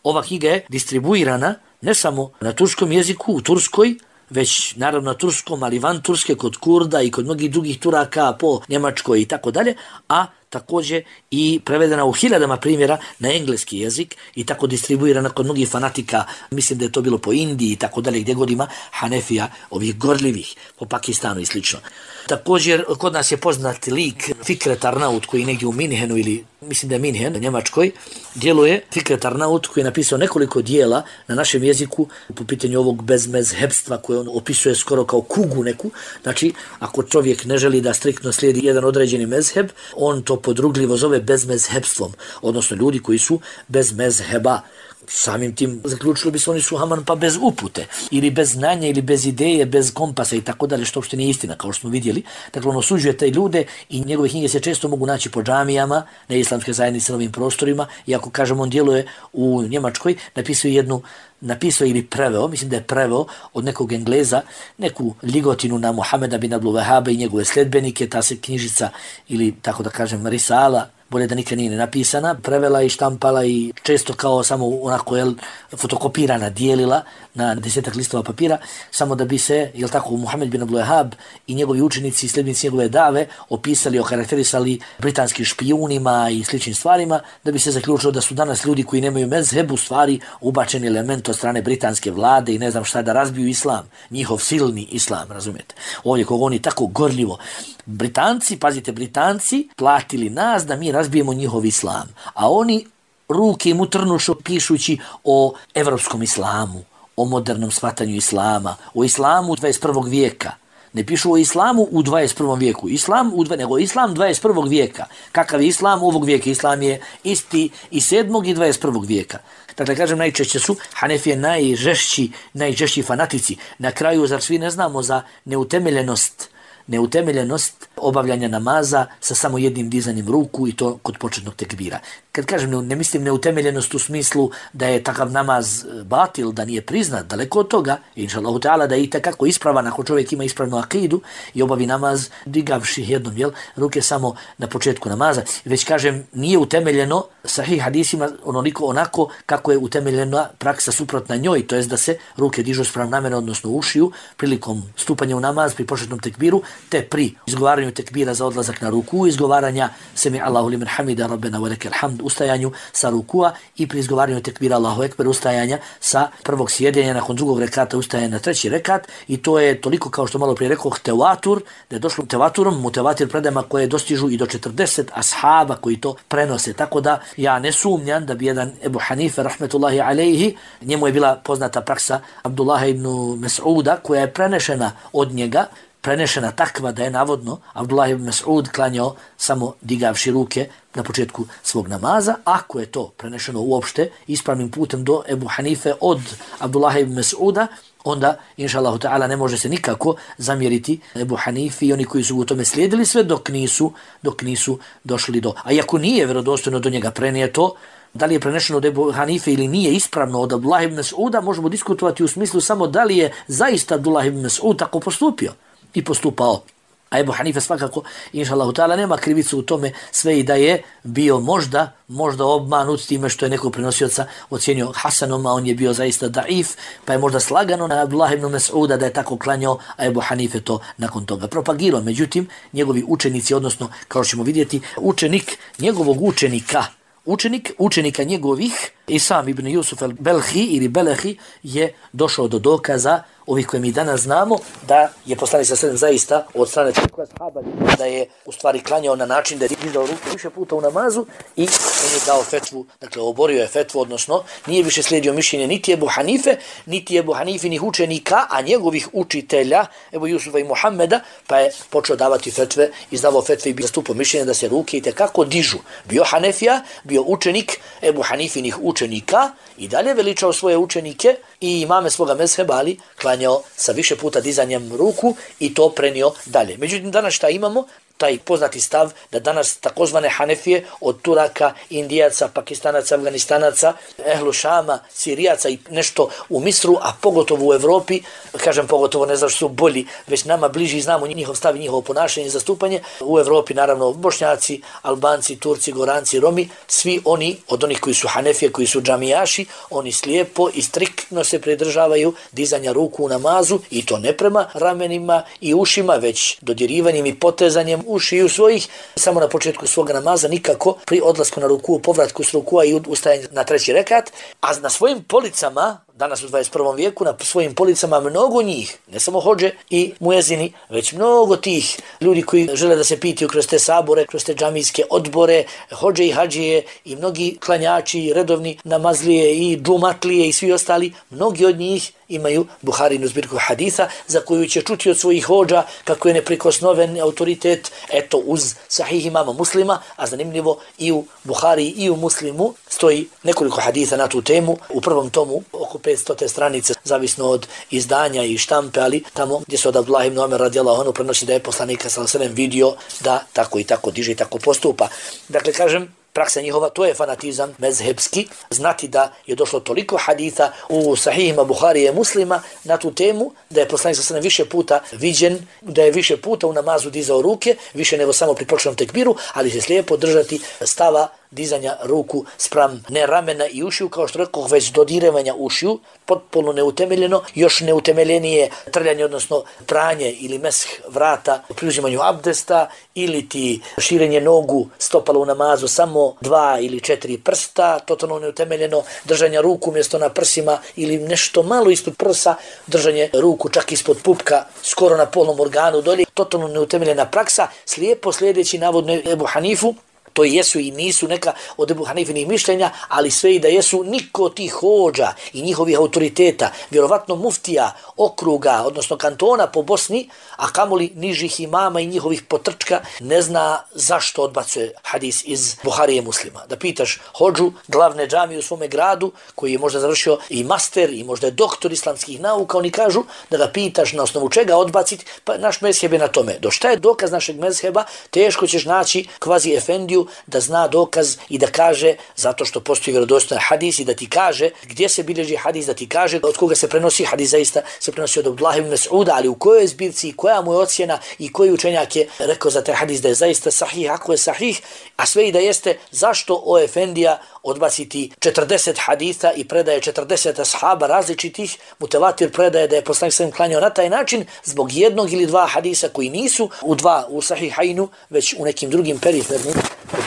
Ova knjiga je distribuirana ne samo na turskom jeziku, u Turskoj, već naravno na turskom, ali van Turske, kod Kurda i kod mnogih drugih Turaka po Njemačkoj i tako dalje, a također i prevedena u hiljadama primjera na engleski jezik i tako distribuirana kod mnogih fanatika, mislim da je to bilo po Indiji i tako dalje, gdje god ima Hanefija, ovih gorljivih, po Pakistanu i slično. Također, kod nas je poznat lik Fikret Arnaut, koji je negdje u Minhenu ili mislim da je Minhen, na Njemačkoj, djeluje Fikret Arnaut, koji je napisao nekoliko dijela na našem jeziku po pitanju ovog bezmezhebstva koje on opisuje skoro kao kugu neku. Znači, ako čovjek ne želi da striktno slijedi jedan određeni mezheb, on to podrugljivo zove bezmezhebstvom, odnosno ljudi koji su bez mezheba. Samim tim zaključilo bi se oni su haman pa bez upute, ili bez znanja, ili bez ideje, bez kompasa i tako dalje, što uopšte nije istina, kao što smo vidjeli. Dakle, on osuđuje te ljude i njegove knjige se često mogu naći po džamijama, na islamske zajednice na ovim prostorima, i ako kažemo on djeluje u Njemačkoj, napisao jednu, napisao ili preveo, mislim da je preveo od nekog Engleza, neku ligotinu na Muhameda bin Abdul Wahaba i njegove sledbenike, ta se knjižica, ili tako da kažem risala, bolje da nikad nije napisana, prevela i štampala i često kao samo onako jel, fotokopirana, dijelila na desetak listova papira, samo da bi se, jel tako, Muhammed bin Abdul Wahhab i njegovi učenici i sljedbenici njegove dave opisali, okarakterisali britanskim špijunima i sličnim stvarima, da bi se zaključilo da su danas ljudi koji nemaju mezheb u stvari ubačeni element od strane britanske vlade i ne znam šta da razbiju islam, njihov silni islam, razumijete. Ovdje kog oni tako gorljivo. Britanci, pazite, Britanci platili nas da mi razbijemo njihov islam, a oni ruke mu trnušu pišući o evropskom islamu, o modernom shvatanju islama, o islamu dvadeset prvog vijeka. Ne pišu o islamu u dvadeset prvom vijeku, islam u, nego islam dvadeset prvog vijeka. Kakav je islam ovog vijeka? Islam je isti i sedmog i dvadeset prvog vijeka. Dakle, kažem, najčešće su Hanefije najžešći, najžešći fanatici. Na kraju, zar svi ne znamo za neutemeljenost neutemeljenost obavljanja namaza sa samo jednim dizanjem ruku i to kod početnog tekbira. Kad kažem ne, ne mislim neutemeljenost u smislu da je takav namaz batil, da nije priznat, daleko od toga, inšallahu ta'ala, da je i takako ispravan ako čovjek ima ispravnu akidu i obavi namaz digavši jednom jel, ruke samo na početku namaza. Već kažem, nije utemeljeno sahih hadisima onoliko onako kako je utemeljena praksa suprotna njoj, to jest da se ruke dižu sprem namena, odnosno ušiju, prilikom stupanja u namaz, pri početnom tekbiru, te pri izgovaranju tekbira za odlazak na ruku, izgovaranja semi Allahu limen hamida rabbena wa lakal hamd, ustajanju sa rukua i pri izgovaranju tekbira Allahu ekber, ustajanja sa prvog sjedenja, nakon drugog rekata ustajanja na treći rekat, i to je toliko, kao što malo prije rekao, tevatur, da je došlo tevaturom, mutevatir predajama koje dostižu i do četrdeset ashaba koji to prenose, tako da ja ne sumnjam da bi jedan Ebu Hanife rahmetullahi alejhi, njemu je bila poznata praksa Abdullaha ibn Mas'uda koja je prenešena od njega, prenešena takva da je navodno Abdullah ibn Mas'ud klanjao samo digavši ruke na početku svog namaza. Ako je to prenešeno uopšte ispravnim putem do Ebu Hanife od Abdullah ibn Mas'uda, onda, inšallahu ta'ala, ne može se nikako zamjeriti Ebu Hanifi i oni koji su u tome slijedili sve dok nisu, dok nisu došli do. A iako nije vjerodostojno do njega prenijeto, da li je prenešeno od Ebu Hanife ili nije ispravno od Abdullah ibn Mas'uda, možemo diskutovati u smislu samo da li je zaista Abdullah ibn Mas'ud tako postupio i postupao. A Ebu Hanife svakako, inšallahu ta'ala, nema krivicu u tome, sve i da je bio možda, možda obmanut time što je nekog prenosioca ocjenio Hasanom, a on je bio zaista daif, pa je možda slagano na Abdullah ibn Mas'uda da je tako klanjao, a Ebu Hanife to nakon toga propagirao. Međutim, njegovi učenici, odnosno, kao ćemo vidjeti, učenik njegovog učenika, Učenik, učenika njegovih, Isam ibn Jusuf al-Belhi ili Belehi, je došao do dokaza ovih koje mi danas znamo, da je poslanik sallallahu alejhi ve sellem zaista od strane toliko ashaba da je u stvari klanjao na način da je dizao ruke više puta u namazu i on je dao fetvu, dakle oborio je fetvu, odnosno nije više slijedio mišljenje niti Ebu Hanife, niti Ebu Hanifinih učenika, a njegovih učitelja, Ebu Jusufa i Muhammeda, pa je počeo davati fetve, izdavao fetve i bi zastupao mišljenje da se ruke i tekako dižu. Bio Hanefija, bio učenik Ebu Hanifinih učenika i dalje veličao svoje učenike i imame svoga mezheba, ali klanjao sa više puta dizanjem ruku i to prenio dalje. Međutim, danas šta imamo? Taj poznati stav da danas takozvane Hanefije od Turaka, Indijaca, Pakistanaca, Afganistanaca, Ehlu Šama, Sirijaca i nešto u Misru, a pogotovo u Evropi, kažem pogotovo ne znam što su bolji, već nama bliži, znamo njihov stav i njihovo ponašanje i zastupanje. U Evropi naravno Bošnjaci, Albanci, Turci, Goranci, Romi, svi oni, od onih koji su Hanefije, koji su džamijaši, oni slijepo i striktno se pridržavaju dizanja ruku u namazu i to ne prema ramenima i ušima, već dodirivanjem i potezanjem ušiju svojih, samo na početku svog namaza, nikako pri odlasku na ruku, povratku s rukua i ustajanju na treći rekat, a na svojim policama, danas u dvadeset prvom vijeku, na svojim policama mnogo njih, ne samo hodže i muezini, već mnogo tih ljudi koji žele da se pitaju kroz te sabore, kroz te džamijske odbore, hodže i hađije i mnogi klanjači, redovni namazlije i džumatlije i svi ostali, mnogi od njih imaju Buharinu zbirku haditha za koju će čuti od svojih hodža kako je neprikosnoven autoritet, eto uz sahih imama Muslima, a zanimljivo i u Buhari i u Muslimu stoji nekoliko haditha na tu temu, u prvom tomu oko petsto stranice, zavisno od izdanja i štampe, ali tamo gdje se od Abdullah ibn Omer radijallahu anhu prenosi da je poslanik sallallahu alejhi ve sellem vidio da tako i tako diže i tako postupa. Dakle, kažem, praksa njihova, to je fanatizam mezhebski, znati da je došlo toliko haditha u sahihima Buharije Muslima na tu temu, da je poslanik sallallahu alejhi ve sellem više puta viđen, da je više puta u namazu dizao ruke, više nego samo pri početnom tekbiru, ali se slijepo držati stava dizanja ruku spram ne ramena i ušiju, kao što rekao, već dodirivanja ušiju, potpuno neutemeljeno, još neutemeljenije trljanje, odnosno pranje ili mesh vrata pri uzimanju abdesta, ili ti širenje nogu stopala u namazu samo dva ili četiri prsta, totalno neutemeljeno, držanje ruku mjesto na prsima ili nešto malo ispod prsa, držanje ruku čak ispod pupka, skoro na polnom organu dolje, totalno neutemeljena praksa, slijepo slijedeći navodno Ebu Hanifu. To jesu i nisu neka od Ebu Hanifinih mišljenja, ali sve i da jesu, niko tih hođa i njihovih autoriteta, vjerovatno muftija okruga, odnosno kantona po Bosni, a kamoli nižih imama i njihovih potrčka, ne zna zašto odbacuje hadis iz Buharije Muslima. Da pitaš hođu glavne džamije u svome gradu, koji je možda završio i master i možda je doktor islamskih nauka, oni kažu da ga pitaš na osnovu čega odbaciti, pa naš mezheb je na tome. Do šta je dokaz našeg mezheba, teško ćeš naći kvazi efendiju da zna dokaz i da kaže, zato što postoji vjerodostojan hadis, i da ti kaže gdje se bilježi hadis, da ti kaže od koga se prenosi hadis. Zaista se prenosi od Abdullah ibn Mas'uda, ali u kojoj zbirci, koja mu je ocjena i koji učenjak je rekao za taj hadis da je zaista sahih, ako je sahih, a sve i da jeste, zašto o efendija odbaciti četrdeset haditha i predaje četrdeset ashaba različitih, mutevatir predaje da je poslanik sallallahu alejhi ve sellem klanjao na taj način zbog jednog ili dva hadisa koji nisu u dva u sahihajnu, već u nekim drugim perifernim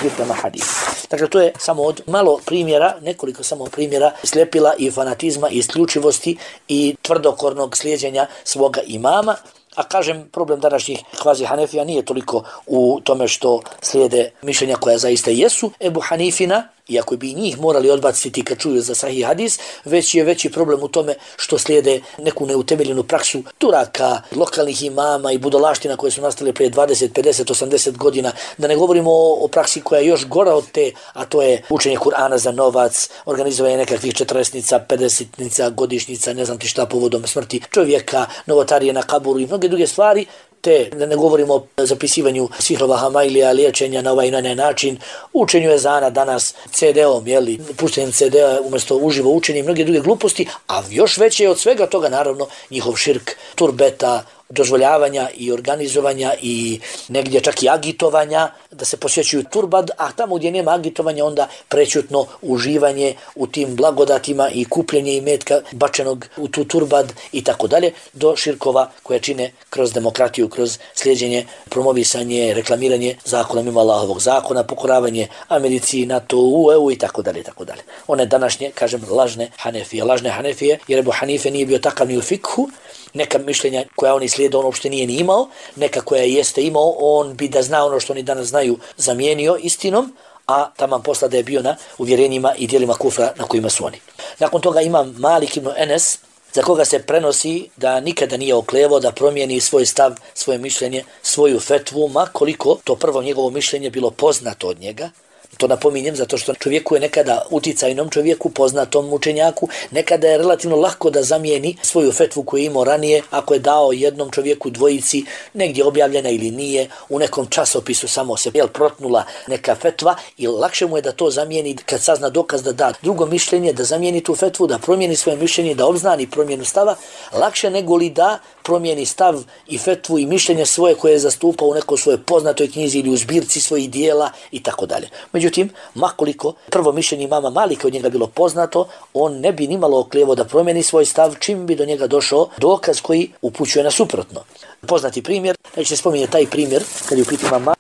zbirkama hadisa. Dakle, to je samo od malo primjera, nekoliko samo primjera slijepila i fanatizma i isključivosti i tvrdokornog slijeđenja svoga imama. A kažem, problem današnjih kvazi Hanefija nije toliko u tome što slijede mišljenja koja zaista jesu Ebu Hanifina, iako bi njih morali odbaciti kad čuju za sahih hadis, već je veći problem u tome što slijede neku neutemeljenu praksu Turaka, lokalnih imama i budalaština koje su nastale prije dvadeset, pedeset, osamdeset godina. Da ne govorimo o, o praksi koja je još gora od te, a to je učenje Kur'ana za novac, organizovanje nekakvih četrdesetnica, pedesetnica, godišnjica, ne znam ti šta, povodom smrti čovjeka, novotarije na kaburu i mnoge druge stvari. Te, da ne govorimo o zapisivanju sihrova hamailija, liječenja na ovaj i na onaj način, učenju ezana danas ce de om, jeli, puštenjem ce de a umjesto uživo učenje i mnoge druge gluposti, a još veće je od svega toga naravno njihov širk, turbeta, dozvoljavanja i organizovanja i negdje čak i agitovanja da se posjećuju turbad, a tamo gdje nema agitovanja onda prećutno uživanje u tim blagodatima i kupljenje imetka bačenog u tu turbad i tako dalje, do širkova koje čine kroz demokratiju, kroz slijeđenje, promovisanje, reklamiranje zakona mimo Allahovog zakona, pokoravanje Americi, NATO, U E U i tako dalje, tako dalje. One današnje, kažem, lažne Hanefije, lažne Hanefije, jer Ebu Hanife nije bio takav ni u fikhu, neka mišljenja koja oni slijede on uopšte nije ni imao, neka koja jeste imao, on bi da zna ono što oni danas znaju zamijenio istinom, a taman posla da je bio na uvjerenjima i dijelima kufra na kojima su oni. Nakon toga imam Malik ibn Enes, za koga se prenosi da nikada nije oklevo da promijeni svoj stav, svoje mišljenje, svoju fetvu, ma koliko to prvo njegovo mišljenje bilo poznato od njega. To napominjem zato što čovjeku je nekada uticajnom čovjeku, poznatom učenjaku, nekada je relativno lako da zamijeni svoju fetvu koju je imao ranije, ako je dao jednom čovjeku dvojici, negdje objavljena ili nije, u nekom časopisu samo se jel, protnula neka fetva i lakše mu je da to zamijeni kad sazna dokaz da da drugo mišljenje, da zamijeni tu fetvu, da promijeni svoje mišljenje, da obznani promjenu stava, lakše nego li da promijeni stav i fetvu i mišljenje svoje koje je zastupao u nekoj svojoj poznatoj knjizi ili u zbirci svojih dijela i tako dalje. Međutim, makoliko prvo mišljenje imama Malika od njega bilo poznato, on ne bi nimalo oklijevo da promijeni svoj stav čim bi do njega došao dokaz koji upućuje na suprotno. Poznati primjer, neće se spominje taj primjer, kad je u pitanju imama,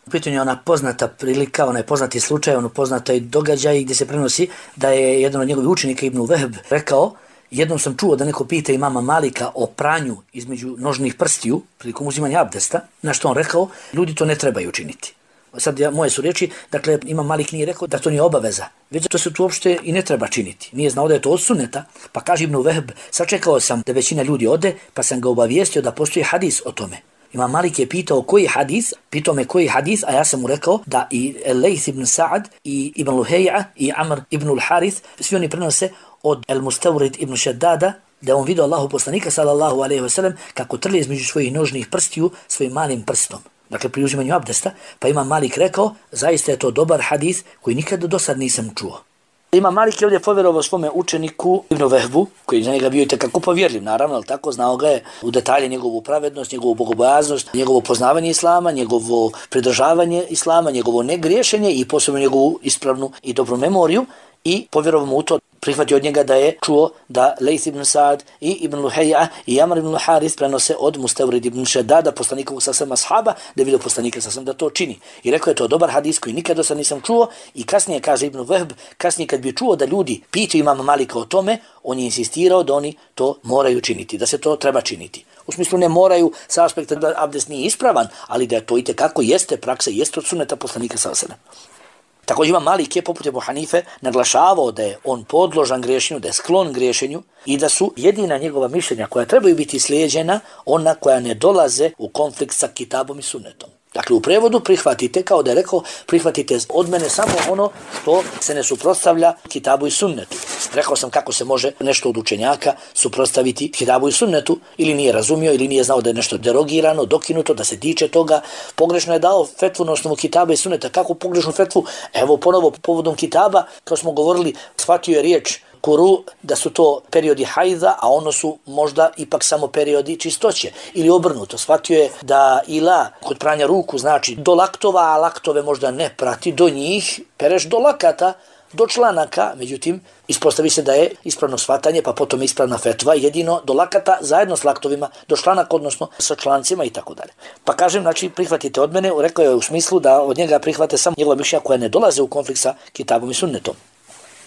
u pitanju je ona poznata prilika, onaj poznati slučaj, ono poznati događaj gdje se prenosi da je jedan od njegovih učenika Ibn Vehb rekao, jednom sam čuo da neko pita imama Malika o pranju između nožnih prstiju prilikom uzimanja abdesta, na što on rekao, ljudi to ne trebaju učiniti. Sad ja, moje su riječi, dakle imam Malik nije rekao da to nije obaveza, već to se tu uopšte i ne treba činiti. Nije znao da je to od sunneta, pa kaže Ibn Vehb, sačekao sam da većina ljudi ode, pa sam ga obavijestio da postoji hadis o tome. Imam Malik je pitao koji hadis, pitao me koji hadis, a ja sam mu rekao da i Lejth ibn Sa'ad, i Ibn Luhej'a, i Amr ibn al-Harith, svi oni prenose od El-Mustawrid ibn Shaddada, da on vidio Allahu poslanika sallallahu alejhi ve sellem kako trlje između svojih nožnih prstiju svojim malim prstom. dakle pri uzimanju abdesta, pa Imam Malik rekao, zaista je to dobar hadis koji nikada do sad nisam čuo. Imam Malik je ovdje povjerovao svome učeniku Ibn Vehbu, koji za njega bio i tekako povjerljiv, naravno, ali tako znao ga je u detalje njegovu pravednost, njegovu bogobojaznost, njegovo poznavanje islama, njegovo pridržavanje islama, njegovo negriješenje i posebno njegovu ispravnu i dobru memoriju i povjerovao mu u to. Prihvatio od njega da je čuo da Lejth ibn Sa'd i Ibn Luhej'a i Amr ibn Haris prenose od Mustawrid ibn Šedada, poslanikovog sasvim ashaba, da je vidio poslanika sasvim da to čini. I rekao je to dobar hadis koji nikad do sad nisam čuo i kasnije, kaže Ibn Vehb, kasnije kad bi čuo da ljudi pitaju Imama Malika o tome, on je insistirao da oni to moraju činiti, da se to treba činiti. U smislu ne moraju sa aspekta da abdest nije ispravan, ali da to itekako jeste praksa, jeste od sunneta poslanika sasvim. Također Imam Malik je poput Ebu Hanife naglašavao da je on podložan griješenju, da je sklon griješenju i da su jedina njegova mišljenja koja trebaju biti slijeđena ona koja ne dolaze u konflikt sa kitabom i sunnetom. Dakle, u prevodu prihvatite, kao da je rekao, prihvatite od mene samo ono što se ne suprotstavlja kitabu i sunnetu. Rekao sam kako se može nešto od učenjaka suprotstaviti kitabu i sunnetu, ili nije razumio, ili nije znao da je nešto derogirano, dokinuto, da se tiče toga. Pogrešno je dao fetvu na osnovu kitaba i sunneta. Kako pogrešnu fetvu? Evo ponovo povodom kitaba, kao smo govorili, shvatio je riječ kuru, da su to periodi hajza, a ono su možda ipak samo periodi čistoće. Ili obrnuto, shvatio je da ila kod pranja ruku znači do laktova, a laktove možda ne prati, do njih pereš do lakata, do članaka, međutim, ispostavi se da je ispravno shvatanje, pa potom ispravna fetva, jedino do lakata zajedno s laktovima, do članaka, odnosno sa člancima i tako dalje. Pa kažem, znači, prihvatite od mene, rekao je u smislu da od njega prihvate samo njegova mišljenja koja ne dolaze u konflikt sa kitabom i sunnetom.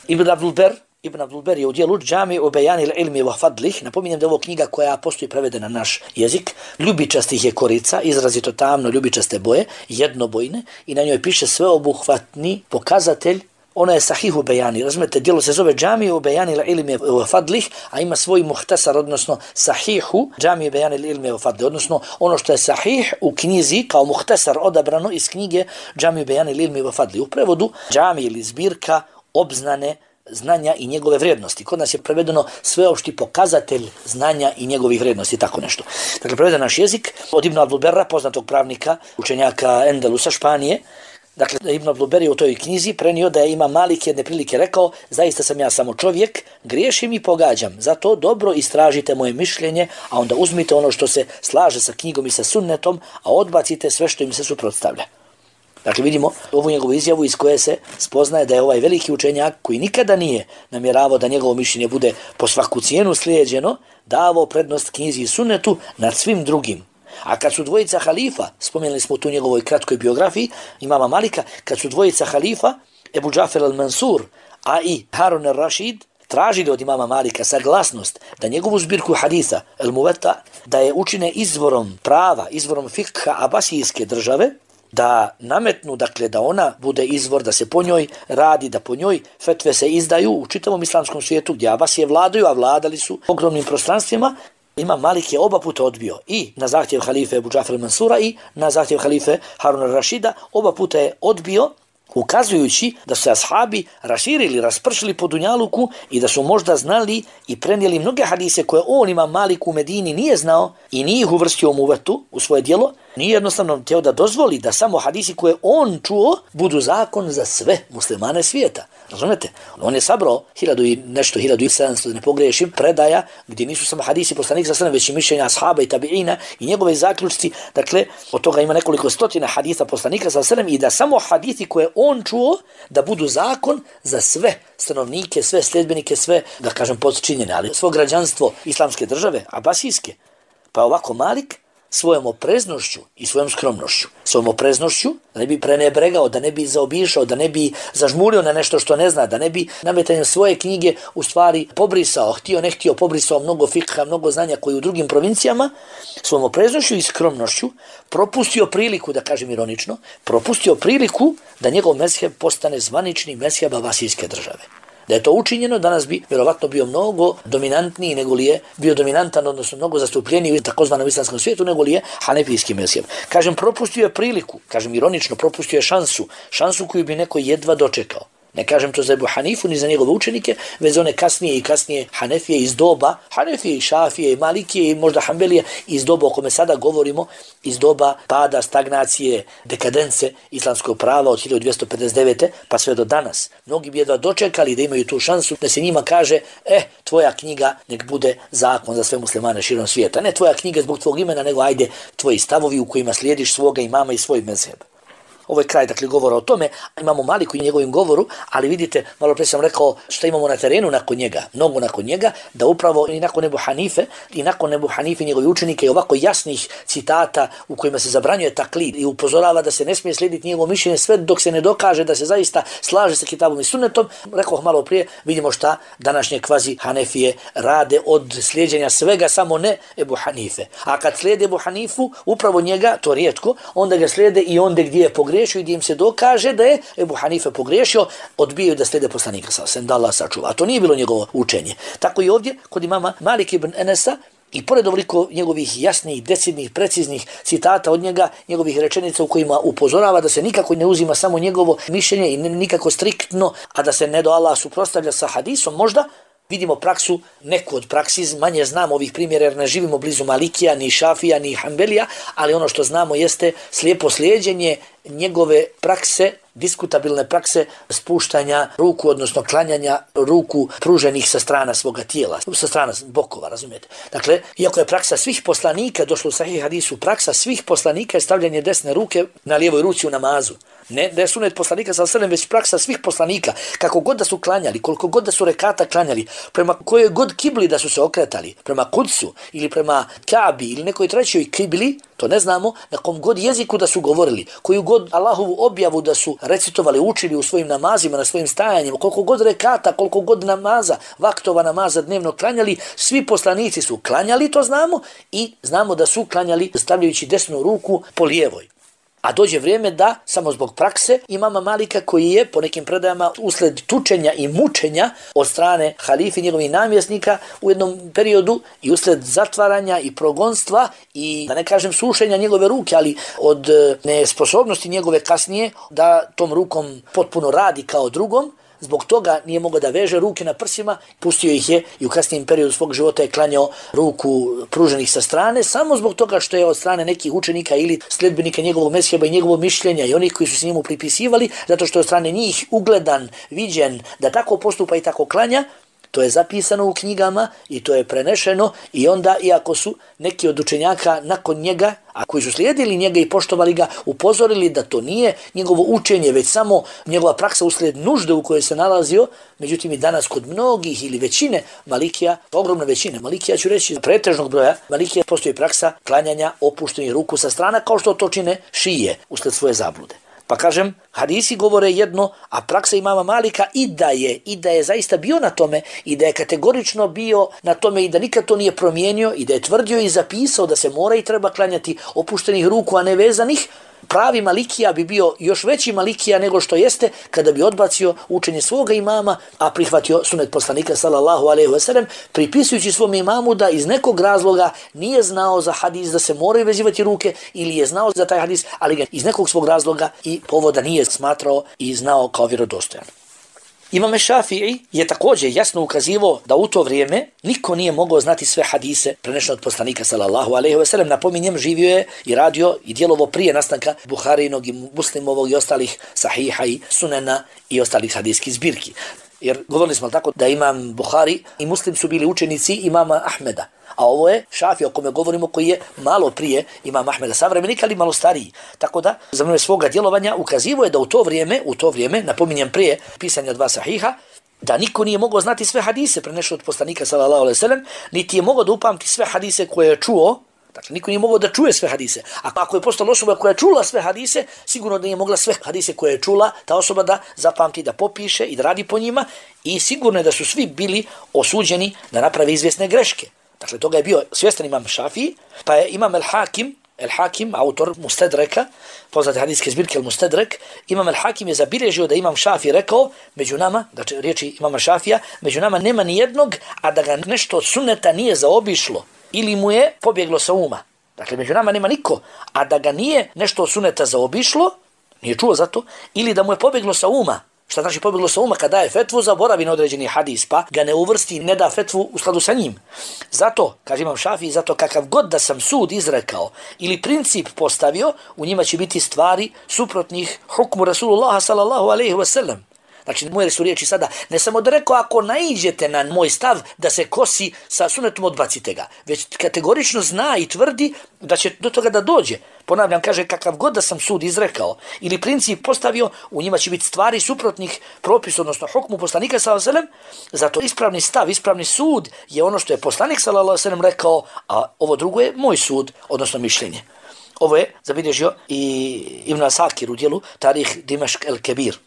Ibn Abdul Ber, Ibn Abdul Ber je u dijelu Džami o Bejani ilmi wa fadlih. Napominjem da je ovo knjiga koja postoji prevedena na naš jezik. Ljubičastih je korica, izrazito tamno ljubičaste boje, jednobojne, i na njoj piše sveobuhvatni pokazatelj. Ona je sahihu Bejani, razumete, dijelo se zove Džami o Bejani ilmi wa fadlih, a ima svoj muhtasar, odnosno sahihu Džami o Bejani ilmi wa fadlih, odnosno ono što je sahih u knjizi kao muhtasar odabrano iz knjige Džami o Bejani ilmi wa fadlih. U prevodu Džami ili zbirka obznane znanja i njegove vrijednosti. Kod nas je prevedeno sveopšti pokazatelj znanja i njegovih vrijednosti, tako nešto. Dakle, preveden naš jezik od Ibn Abdul Berra, poznatog pravnika, učenjaka Endelusa, Španije. Dakle, Ibn Abdul Ber je u toj knjizi prenio da je Imam Malik jedne prilike rekao, zaista sam ja samo čovjek, griješim i pogađam, zato dobro istražite moje mišljenje, a onda uzmite ono što se slaže sa knjigom i sa sunnetom, a odbacite sve što im se suprotstavlja. Dakle, vidimo ovu njegovu izjavu iz koje se spoznaje da je ovaj veliki učenjak koji nikada nije namjeravao da njegovo mišljenje bude po svaku cijenu slijeđeno, davao prednost knjizi i sunnetu nad svim drugim. A kad su dvojica halifa, spomenuli smo tu njegovoj kratkoj biografiji Imama Malika, kad su dvojica halifa, Ebu Džafer al-Mansur, a i Harun al-Rashid, tražili od Imama Malika saglasnost da njegovu zbirku haditha, al-Muwatta, da je učine izvorom prava, izvorom fikha abasijske države, da nametnu, dakle, da ona bude izvor, da se po njoj radi, da po njoj fetve se izdaju u čitavom islamskom svijetu gdje Abasije vladaju, a vladali su ogromnim prostranstvima. Imam Malik je oba puta odbio i na zahtjev halife Ebu Džafra Mansura i na zahtjev halife Haruna Rašida, oba puta je odbio, ukazujući da su se ashabi raširili, raspršili po dunjaluku i da su možda znali i prenijeli mnoge hadise koje on, Imam Malik, u Medini nije znao i nije ih uvrstio u muvetu, u svoje djelo, nije jednostavno teo da dozvoli da samo hadisi koje on čuo budu zakon za sve muslimane svijeta. Razumete? On je sabrao hiljadu i nešto, hiljadu i sedamsto, da ne pogrešim, predaja gdje nisu samo hadisi poslanika sa sallam, već i mišljenja ashaba i tabiina i njegove zaključci. Dakle, od toga ima nekoliko stotina hadisa poslanika sa sallam i da samo hadisi koje on čuo da budu zakon za sve stanovnike, sve sljedbenike, sve, da kažem, podčinjene, ali svo građanstvo islamske države, abasijske. Pa ovako Malik svojom opreznošću i svojom skromnošću, svojom opreznošću, da ne bi prenebregao, da ne bi zaobišao, da ne bi zažmurio na nešto što ne zna, da ne bi nametanjem svoje knjige u stvari pobrisao, htio, ne htio, pobrisao mnogo fikha, mnogo znanja koji u drugim provincijama, svojom opreznošću i skromnošću propustio priliku, da kažem ironično, propustio priliku da njegov mezheb postane zvanični mezheb abasijske države. Da je to učinjeno, danas bi vjerovatno bio mnogo dominantniji nego li je bio dominantan, odnosno mnogo zastupljeniji u takozvanom islamskom svijetu nego li je hanefijski mezheb. Kažem, propustio je priliku, kažem ironično, propustio je šansu, šansu koju bi neko jedva dočekao. Ne kažem to za Ebu Hanifu ni za njegove učenike, već za one kasnije i kasnije Hanefije iz doba, Hanefije i Šafije i Malikije i možda Hanbelije iz doba o kome sada govorimo, iz doba pada, stagnacije, dekadence islamskog prava od hiljadu dvjesto pedeset devete pa sve do danas. Mnogi bi jedva dočekali da imaju tu šansu da se njima kaže, eh, tvoja knjiga nek bude zakon za sve muslimane širom svijeta. Ne tvoja knjiga zbog tvog imena, nego ajde tvoji stavovi u kojima slijediš svoga imama i svoj mezheb. Ovo je kraj, dakle, govora o tome. Imamo Maliku i njegovim govoru, ali vidite, malo prije sam rekao što imamo na terenu nakon njega, mnogo nakon njega, da upravo i nakon Ebu Hanife, i nakon Ebu Hanife i njegovi učenike i ovako jasnih citata u kojima se zabranjuje taklid i upozorava da se ne smije slijediti njegovo mišljenje sve dok se ne dokaže da se zaista slaže sa kitabom i sunnetom. Rekao malo prije, vidimo šta današnje kvazi Hanefije rade od slijeđenja svega, samo ne Ebu Hanife. A kad slijede Ebu Hanifu, upravo njega, to rijetko, onda ga slijede i onda gdje je pogriješio i gdje im se dokaže da je Ebu Hanife pogriješio, odbijaju da slijede poslanika sallallahu alejhi ve sellem, da Allah sačuva. A to nije bilo njegovo učenje. Tako i ovdje kod imama Malik ibn Enesa, i pored ovoliko njegovih jasnih, decidnih, preciznih citata od njega, njegovih rečenica u kojima upozorava da se nikako ne uzima samo njegovo mišljenje i nikako striktno, a da se ne do Allah suprotstavlja sa hadisom, možda vidimo praksu, neku od praksi, manje znamo ovih primjera jer ne živimo blizu Malikija, ni Šafija, ni Hanbelija, ali ono što znamo jeste slijepo slijeđenje njegove prakse, diskutabilne prakse spuštanja ruku, odnosno klanjanja ruku pruženih sa strana svoga tijela, sa strana bokova, razumijete. Dakle, iako je praksa svih poslanika, došlo u Sahih hadisu, praksa svih poslanika je stavljanje desne ruke na lijevoj ruci u namazu. Ne da je sunet poslanika sallallahu alejhi ve sellem, već praksa svih poslanika, kako god da su klanjali, koliko god da su rekata klanjali, prema kojoj god kibli da su se okretali, prema Kudsu ili prema Kabi ili nekoj trećoj kibli, to ne znamo, na kom god jeziku da su govorili, koju god Allahovu objavu da su recitovali, učili u svojim namazima, na svojim stajanjima, koliko god rekata, koliko god namaza, vaktova namaza dnevno klanjali, svi poslanici su klanjali, to znamo, i znamo da su klanjali stavljajući desnu ruku po lijevoj. A dođe vrijeme da, samo zbog prakse, imama Malika koji je, po nekim predajama, usled tučenja i mučenja od strane halife i njegovih namjesnika u jednom periodu i usled zatvaranja i progonstva i, da ne kažem, sušenja njegove ruke, ali od nesposobnosti njegove kasnije da tom rukom potpuno radi kao drugom, zbog toga nije mogao da veže ruke na prsima, pustio ih je i u kasnijem periodu svog života je klanjao ruku pruženih sa strane, samo zbog toga što je od strane nekih učenika ili sljedbenika njegovog mezheba i njegovog mišljenja i onih koji su se njemu pripisivali, zato što je od strane njih ugledan, viđen da tako postupa i tako klanja. To je zapisano u knjigama i to je prenešeno i onda, iako su neki od učenjaka nakon njega, a koji su slijedili njega i poštovali ga, upozorili da to nije njegovo učenje, već samo njegova praksa uslijed nužde u kojoj se nalazio, međutim i danas kod mnogih ili većine Malikija, ogromne većine Malikija, ću reći pretežnog broja Malikija, postoji praksa klanjanja opuštenih ruku sa strana, kao što to čine šije uslijed svoje zablude. Pa kažem, hadisi govore jedno, a praksa imama Malika i da je, i da je zaista bio na tome, i da je kategorično bio na tome i da nikad to nije promijenio, i da je tvrdio i zapisao da se mora i treba klanjati opuštenih ruku, a ne vezanih. Pravi Malikija bi bio još veći Malikija nego što jeste kada bi odbacio učenje svoga imama, a prihvatio sunet poslanika sallallahu alejhi ve sellem, pripisujući svom imamu da iz nekog razloga nije znao za hadis da se moraju vezivati ruke ili je znao za taj hadis, ali ga iz nekog svog razloga i povoda nije smatrao i znao kao vjerodostojan. Imam Šafii je također jasno ukazivao da u to vrijeme niko nije mogao znati sve hadise prenešene od poslanika sallallahu alejhi ve sellem. Napominjem, živio je i radio i djelovo prije nastanka Buharinog i Muslimovog i ostalih sahiha i sunena i ostalih hadijskih zbirki. Jer govorili smo tako da imam Buhari i Muslim su bili učenici imama Ahmeda. A ovo je Šafija o kome govorimo, koji je malo prije imam Ahmeda savremenika, ali malo stariji. Tako da, za vrijeme svoga djelovanja ukazivo je da u to vrijeme, u to vrijeme, napominjem prije pisanja dva sahiha, da niko nije mogao znati sve hadise prenešene od poslanika sallallahu alejhi ve sellem, niti je mogao da upamti sve hadise koje je čuo. Dakle, niko nije mogao da čuje sve hadise. A ako je postala osoba koja je čula sve hadise, sigurno da nije mogla sve hadise koje je čula ta osoba da zapamti, da popiše i da radi po njima, i sigurno je da su svi bili osuđeni da naprave izvjesne greške. Dakle, toga je bio svjestan imam Šafii, pa je imam El-Hakim, El-Hakim, autor Mustedreka, poznate hadijske zbirke El-Mustedrek, imam El-Hakim je zabilježio da imam Šafii rekao, među nama, znači riječi imama Šafija, među nama nema ni jednog, a da ga nešto od sunneta nije zaobišlo ili mu je pobjeglo sa uma. Dakle, među nama nema niko, a da ga nije nešto od sunneta zaobišlo, nije čuo za to, ili da mu je pobjeglo sa uma, Šta znači pobjeglo sa uma? Kada daje fetvu, zaboravi na određeni hadis, pa ga ne uvrsti, ne da fetvu u skladu sa njim. Zato, kaže imam Šafii, zato kakav god da sam sud izrekao ili princip postavio, u njima će biti stvari suprotnih hukmu Rasulullaha sallallahu alejhi ve sellem. Znači, moje su riječi sada, ne samo da rekao, ako naiđete na moj stav da se kosi sa sunetom, odbacite ga, već kategorično zna i tvrdi da će do toga da dođe. Ponavljam, kaže, kakav god da sam sud izrekao ili princip postavio, u njima će biti stvari suprotnih propisa, odnosno hukmu poslanika sallallahu alejhi ve sellem. Zato ispravni stav, ispravni sud je ono što je poslanik sallallahu alejhi ve sellem rekao, a ovo drugo je moj sud, odnosno mišljenje. Ovo je zabilježio i Ibn Asakir u dijelu Tarih Dimashq el-Kebir.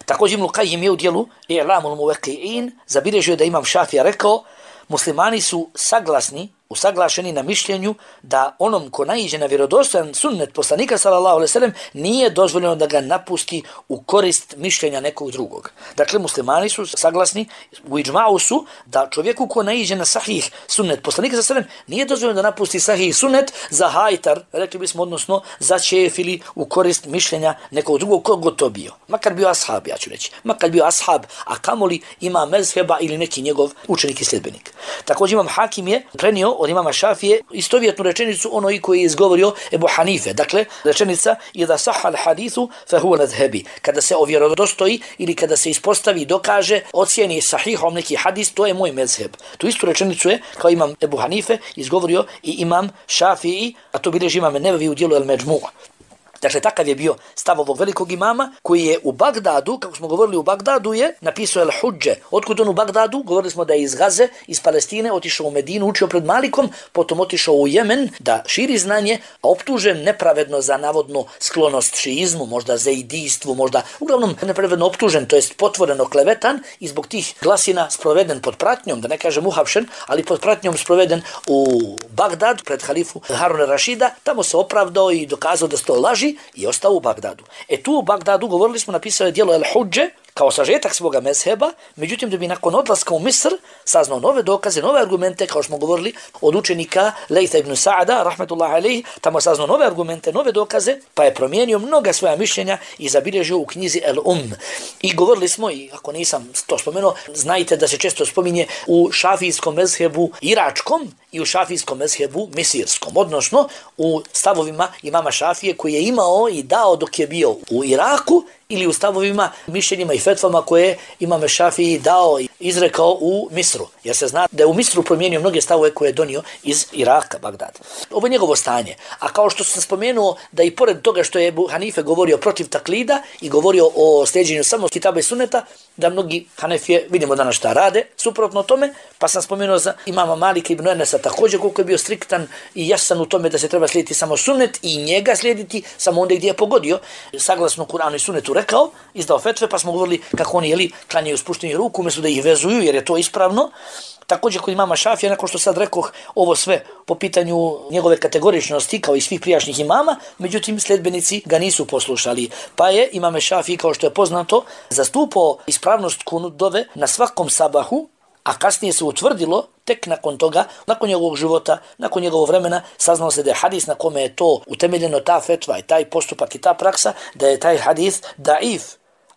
Također Ibn Qajim je u dijelu I'lamul Muwaqqi'in zabilježio da imam Šafija rekao, muslimani su saglasni, usaglašeni na mišljenju da onom ko naiđe na vjerodostojan sunnet poslanika sallallahu alejhi ve sellem nije dozvoljeno da ga napusti u korist mišljenja nekog drugog. Dakle, muslimani su saglasni, u iđma'u su da čovjeku ko naiđe na sahih sunnet poslanika sallallahu alejhi ve sellem nije dozvoljeno da napusti sahih sunnet za hajtar, rekli bismo, odnosno za čef ili u korist mišljenja nekog drugog, kog to bio. Makar bio ashab, ja ću reći. Makar bio ashab, a kamoli ima mezheba ili neki njegov učenik i sljedbenik. Također imam Hakim je prenio od imama Šafije istovjetnu rečenicu onoj koji je izgovorio Ebu Hanife. Dakle, rečenica idha sahha al-hadithu fa huwa madhhabi. Kada se ovjerodostoji ili kada se ispostavi, dokaže, ocijeni sahihom neki hadis, to je moj mezheb. Tu istu rečenicu je, kao imam Ebu Hanife, izgovorio i imam Šafiji, a to bilježi imam Nevevi u dijelu El-Međmu'. Dakle, takav je bio stav ovog velikog imama koji je u Bagdadu, kako smo govorili, u Bagdadu je napisao El-Hudže. Otkud on u Bagdadu? Govorili smo da je iz Gaze, iz Palestine, otišao u Medinu, učio pred Malikom, potom otišao u Jemen da širi znanje, a optužen nepravedno za navodno sklonost šiizmu, možda zeidijstvu, možda uglavnom nepravedno optužen, to jest potvoreno klevetan i zbog tih glasina sproveden pod pratnjom, da ne kažem uhapšen, ali pod pratnjom sproveden u Bagdad pred halifu Haruna Rašida. Tamo se opravdao i dokazao da se to laži i ostao u Bagdadu. E tu u Bagdadu, govorili smo, napisao je dijelo El-Hudže kao sažetak svoga mezheba, međutim da bi nakon odlaska u Misr saznao nove dokaze, nove argumente, kao što smo govorili od učenika Lejtha ibn Sa'ada, rahmetullahi alejhi, tamo saznao nove argumente, nove dokaze, pa je promijenio mnoga svoja mišljenja i zabilježio u knjizi El-Um. I govorili smo, i ako nisam to spomenuo, znajte da se često spominje u šafijskom mezhebu iračkom i u šafijskom mezhebu misirskom, odnosno u stavovima imama Šafije koji je imao i dao dok je bio u Iraku, ili u stavovima, mišljenjima i fetvama koje imam Šafiji dao i izrekao u Misru. Jer se zna da je u Misru promijenio mnoge stavove koje je donio iz Iraka, Bagdad. Ovo je njegovo stanje. A kao što sam spomenuo da i pored toga što je Ebu Hanife govorio protiv taklida i govorio o sljeđenju samo kitaba i suneta, da mnogi Hanefije, vidimo danas šta rade, suprotno tome, pa sam spomenuo za imama Malika ibn Enesa također koliko je bio striktan i jasan u tome da se treba slijediti samo sunnet i njega slijediti samo onda gdje je pogodio, saglasno Kur'anu i sunnetu rekao, izdao fetve, pa smo govorili kako oni jeli klanjaju spušteni ruku, umjesto da ih vezuju jer je to ispravno. Također kod imama Šafija, nakon što sad rekoh ovo sve po pitanju njegove kategoričnosti kao i svih prijašnjih imama, međutim sljedbenici ga nisu poslušali. Pa je imame Šafiji, kao što je poznato, zastupao ispravnost kunut dove na svakom sabahu, a kasnije se utvrdilo tek nakon toga, nakon njegovog života, nakon njegovog vremena, saznalo se da je hadis na kome je to utemeljeno, ta fetva i taj postupak i ta praksa, da je taj hadis daif.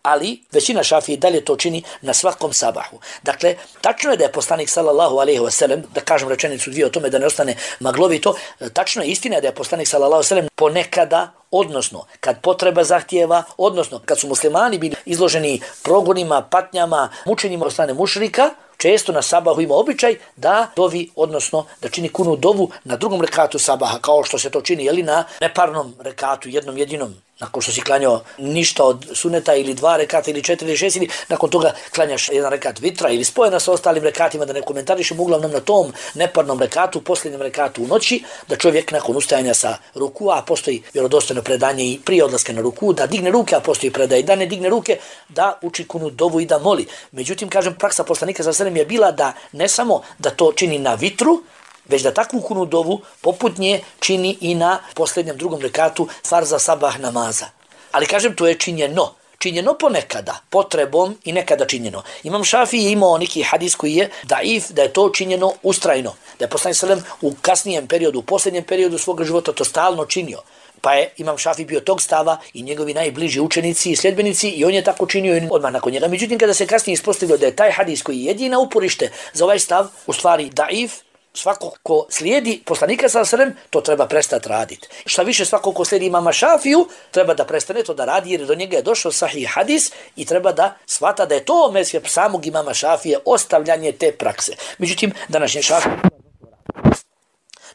Ali većina Šafije dalje to čini na svakom sabahu. Dakle, tačno je da je poslanik sallallahu alejhi ve sellem, da kažem rečenicu dvije o tome da ne ostane maglovito, tačno je, istina je da je poslanik sallallahu alejhi ve sellem ponekada, odnosno kad potreba zahtijeva, odnosno kad su muslimani bili izloženi progonima, patnjama, mučenjima od strane mušrika, često na sabahu ima običaj da dovi, odnosno da čini kunu dovu na drugom rekatu sabaha, kao što se to čini jeli, na neparnom rekatu, jednom jedinom. Nakon što si klanjao ništa od suneta ili dva rekata ili četiri ili šest, ili nakon toga klanjaš jedan rekat vitra ili spojena sa ostalim rekatima, da ne komentarišem, uglavnom na tom neparnom rekatu, posljednjem rekatu u noći, da čovjek nakon ustajanja sa ruku, a postoji vjerodostojno predanje i prije odlaska na ruku, da digne ruke, a postoji predaj da ne digne ruke, da uči kunu dovu i da moli. Međutim, kažem, praksa poslanika sallallahu alejhi ve sellem je bila da ne samo da to čini na vitru, već da takvu kunu dovu poput nje čini i na posljednjem drugom rekatu farza sabah namaza. Ali kažem, to je činjeno. Činjeno ponekada, potrebom i nekada činjeno. Imam Šafiji je imao neki hadis koji je daif, da je to činjeno ustrajno. Da je poslanik sallallahu alejhi ve sellem u kasnijem periodu, u posljednjem periodu svoga života to stalno činio. Pa je Imam Šafi bio tog stava i njegovi najbliži učenici i sljedbenici i on je tako činio i odmah nakon njega. Međutim, kada se kasnije ispostavio da je taj hadis koji je jedina uporište za ovaj stav, u stvari daif, svako ko slijedi poslanika sallallahu alejhi ve sellem, to treba prestati raditi. Šta više, svako ko slijedi Imama Šafiju, treba da prestane to da radi jer do njega je došao sahih hadis i treba da shvata da je to mezheb samog Imama Šafije, ostavljanje te prakse. Međutim, današnji Šafij.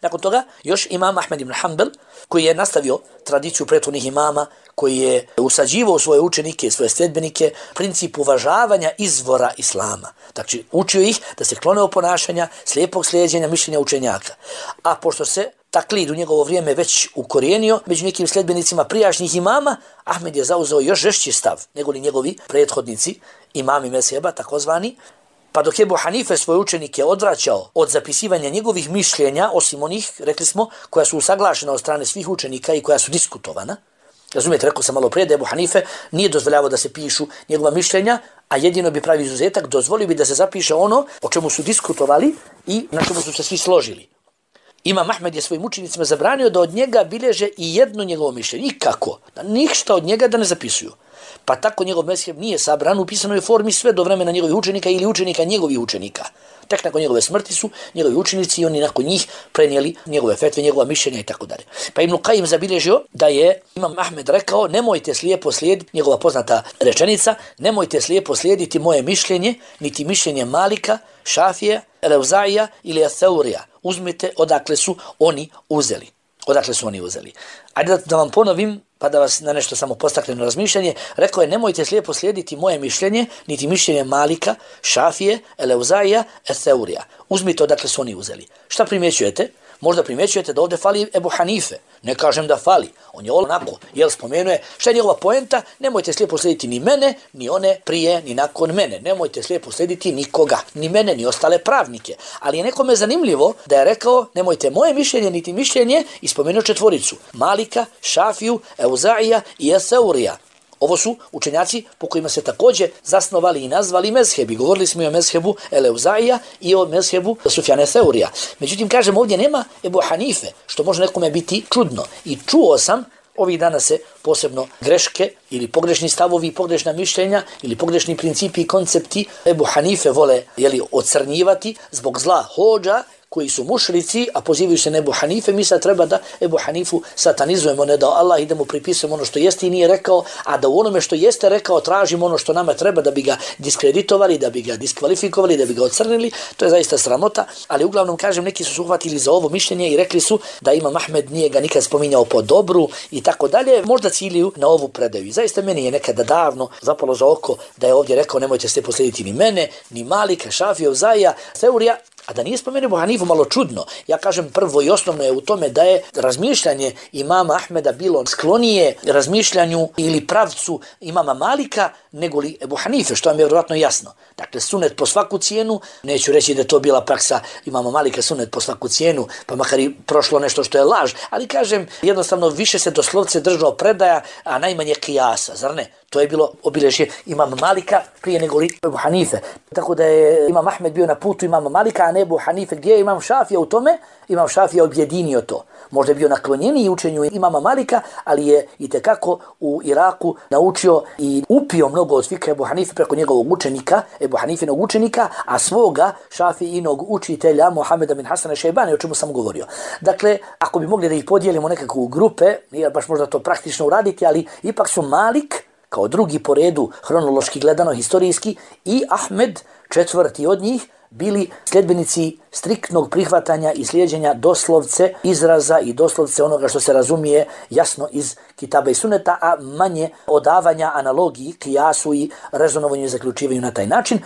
Nakon toga još Imam Ahmed ibn Hanbal, koji je nastavio tradiciju prethodnih imama, koji je usađivao svoje učenike, svoje sljedbenike, princip uvažavanja izvora islama. Znači, učio ih da se klone od ponašanja, slijepog slijeđenja, mišljenja učenjaka. A pošto se taklid u njegovo vrijeme već ukorijenio među nekim sljedbenicima prijašnjih imama, Ahmed je zauzeo još žešći stav nego li njegovi prethodnici, imami mezheba, takozvani. Pa dok je Ebu Hanife svoje učenike odvraćao od zapisivanja njegovih mišljenja, osim onih, rekli smo, koja su usaglašena od strane svih učenika i koja su diskutovana. Razumijete, rekao sam malo prije da Ebu Hanife nije dozvoljavao da se pišu njegova mišljenja, a jedino bi pravi izuzetak, dozvolio bi da se zapiše ono o čemu su diskutovali i na čemu su se svi složili. Imam Ahmed je svojim učenicima zabranio da od njega bilježe i jedno njegovo mišljenje. I kako? Da ništa od njega da ne zapisuju. Pa tako njegov mezheb nije sabran u pisanoj formi sve do vremena njegovih učenika ili učenika njegovih učenika. Tek nakon njegove smrti su njegovi učenici i oni nakon njih prenijeli njegove fetve, njegova mišljenja i tako dalje. Pa Ibn Kajim zabilježio da je Imam Ahmed rekao: nemojte slijepo slijediti, njegova poznata rečenica, nemojte slijepo slijediti moje mišljenje, niti mišljenje Malika, Šafije, Eleuzaija ili Atheurija. Uzmite odakle su oni uzeli. Odakle su oni uzeli. Ajde da, da vam ponovim, pa da vas na nešto samo postakne na razmišljanje. Rekao je: nemojte slijepo slijediti moje mišljenje, niti mišljenje Malika, Šafije, Eleuzaija, Atheurija. Uzmite odakle su oni uzeli. Šta primjećujete? Možda primjećujete da ovdje fali Ebu Hanife. Ne kažem da fali. On je onako, jel spomenuje, šta je njegova poenta? Nemojte slijepo slijediti ni mene, ni one prije, ni nakon mene. Nemojte slijepo slijediti nikoga, ni mene, ni ostale pravnike. Ali je nekome zanimljivo da je rekao: nemojte moje mišljenje, niti mišljenje, i spomenuo četvoricu. Malika, Šafiju, Euzaija i Atheurija. Ovo su učenjaci po kojima se također zasnovali i nazvali mezhebi. Govorili smo i o mezhebu Eleuzaija i o mezhebu Sufjana Theurija. Međutim, kažem, ovdje nema Ebu Hanife, što može nekome biti čudno. I čuo sam ovih dana se posebno greške ili pogrešni stavovi, pogrešna mišljenja ili pogrešni principi i koncepti Ebu Hanife vole jeli, ocrnjivati zbog zla hodža koji su mušrici, a pozivaju se na Ebu Hanife. Mi sad treba da Ebu Hanifu satanizujemo, ne da Allah ide mu pripisujemo ono što jeste i nije rekao, a da u onome što jeste rekao tražimo ono što nama treba da bi ga diskreditovali, da bi ga diskvalifikovali, da bi ga ocrnili. To je zaista sramota, ali uglavnom kažem, neki su se uhvatili za ovo mišljenje i rekli su da Imam Ahmed nije ga nikad spominjao po dobru i tako dalje. Možda ciljuju na ovu predaju. I zaista meni je nekada davno zapalo za oko da je ovdje rekao: nemojte se poslediti ni mene, ni Malika, Šafija, Euzaija, Theurija. A da nije spomenuo Ebu Hanifu, malo čudno. Ja kažem, prvo i osnovno je u tome da je razmišljanje imama Ahmeda bilo sklonije razmišljanju ili pravcu imama Malika nego li Ebu Hanife, što vam je vjerojatno jasno. Dakle, sunet po svaku cijenu, neću reći da je to bila praksa imama Malika, sunet po svaku cijenu, pa makar i prošlo nešto što je laž, ali kažem, jednostavno više se doslovce držao predaja, a najmanje kijasa, zar ne? To je bilo obilježje imama Malika prije nego li Ebu Hanife. Tako da je imam Ahmed bio na putu imama Malika, a ne Ebu Hanife. Gdje je imam Šafija u tome? Imam Šafija objedinio to. Možda je bio naklonjeniji učenju imama Malika, ali je itekako u Iraku naučio i upio mnogo od fikra Ebu Hanife preko njegovog učenika, Ebu Hanifinog učenika, a svoga Šafijinog učitelja Muhameda bin Hasana Šejbani, o čemu sam govorio. Dakle, ako bi mogli da ih podijelimo nekako u grupe, nije baš možda to praktično uraditi, ali ipak su Malik kao drugi po redu, hronološki gledano, historijski, i Ahmed, četvrti od njih, bili sljedbenici striktnog prihvatanja i slijeđenja doslovce izraza i doslovce onoga što se razumije jasno iz Kitaba i Suneta, a manje odavanja analogiji, kijasu i rezonovanju i zaključivanju na taj način.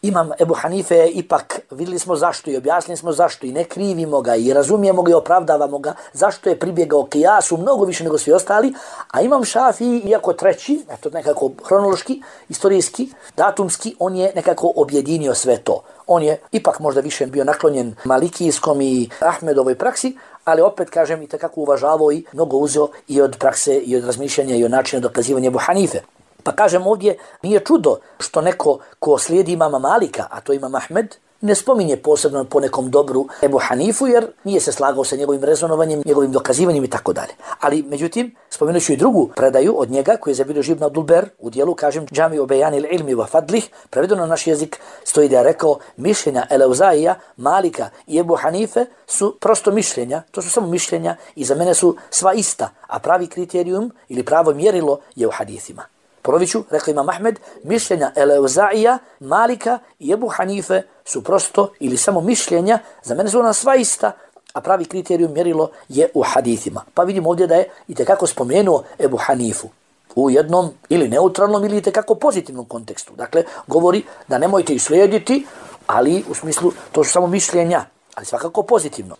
Imam Ebu Hanife je ipak, vidjeli smo zašto i objasnili smo zašto i ne krivimo ga i razumijemo ga i opravdavamo ga, zašto je pribjegao kijasu mnogo više nego svi ostali, a Imam Šafiji, iako treći, eto nekako hronološki, istorijski, datumski, on je nekako objedinio sve to. On je ipak možda više bio naklonjen malikijskom i Ahmedovoj praksi, ali opet kažem i takako uvažavao i mnogo uzeo i od prakse i od razmišljanja i od načina dokazivanja Ebu Hanife. Pa kažem ovdje, nije čudo što neko ko slijedi imama Malika, a to Imam Ahmed, ne spominje posebno po nekom dobru Ebu Hanifu jer nije se slagao sa njegovim rezonovanjem, njegovim dokazivanjem i tako dalje. Ali međutim, spomenut ću i drugu predaju od njega koji je zabilježio Ibn Abdul-Ber u dijelu, kažem, Džami o Bejanil ilmi wa fadlih, prevedeno na naš jezik stoji da je rekao mišljenja Eleuzaija, Malika i Ebu Hanife su prosto mišljenja, to su samo mišljenja i za mene su sva ista, a pravi kriterijum ili pravo mjerilo je u hadithima. Ponovit ću, rekao Imam Ahmed, mišljenja Eleuzaija, Malika i Ebu Hanife su prosto ili samo mišljenja, za mene su ona sva ista, a pravi kriterijum mjerilo je u hadithima. Pa vidimo ovdje da je itekako spomenuo Ebu Hanifu u jednom ili neutralnom ili itekako pozitivnom kontekstu. Dakle, govori da nemojte ih slijediti, ali u smislu to su samo mišljenja, ali svakako pozitivno.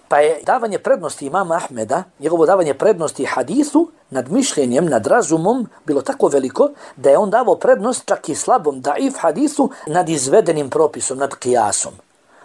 Pa je davanje prednosti imama Ahmeda, njegovo davanje prednosti hadithu nad mišljenjem, nad razumom bilo tako veliko da je on davao prednost čak i slabom daif hadithu nad izvedenim propisom, nad kijasom.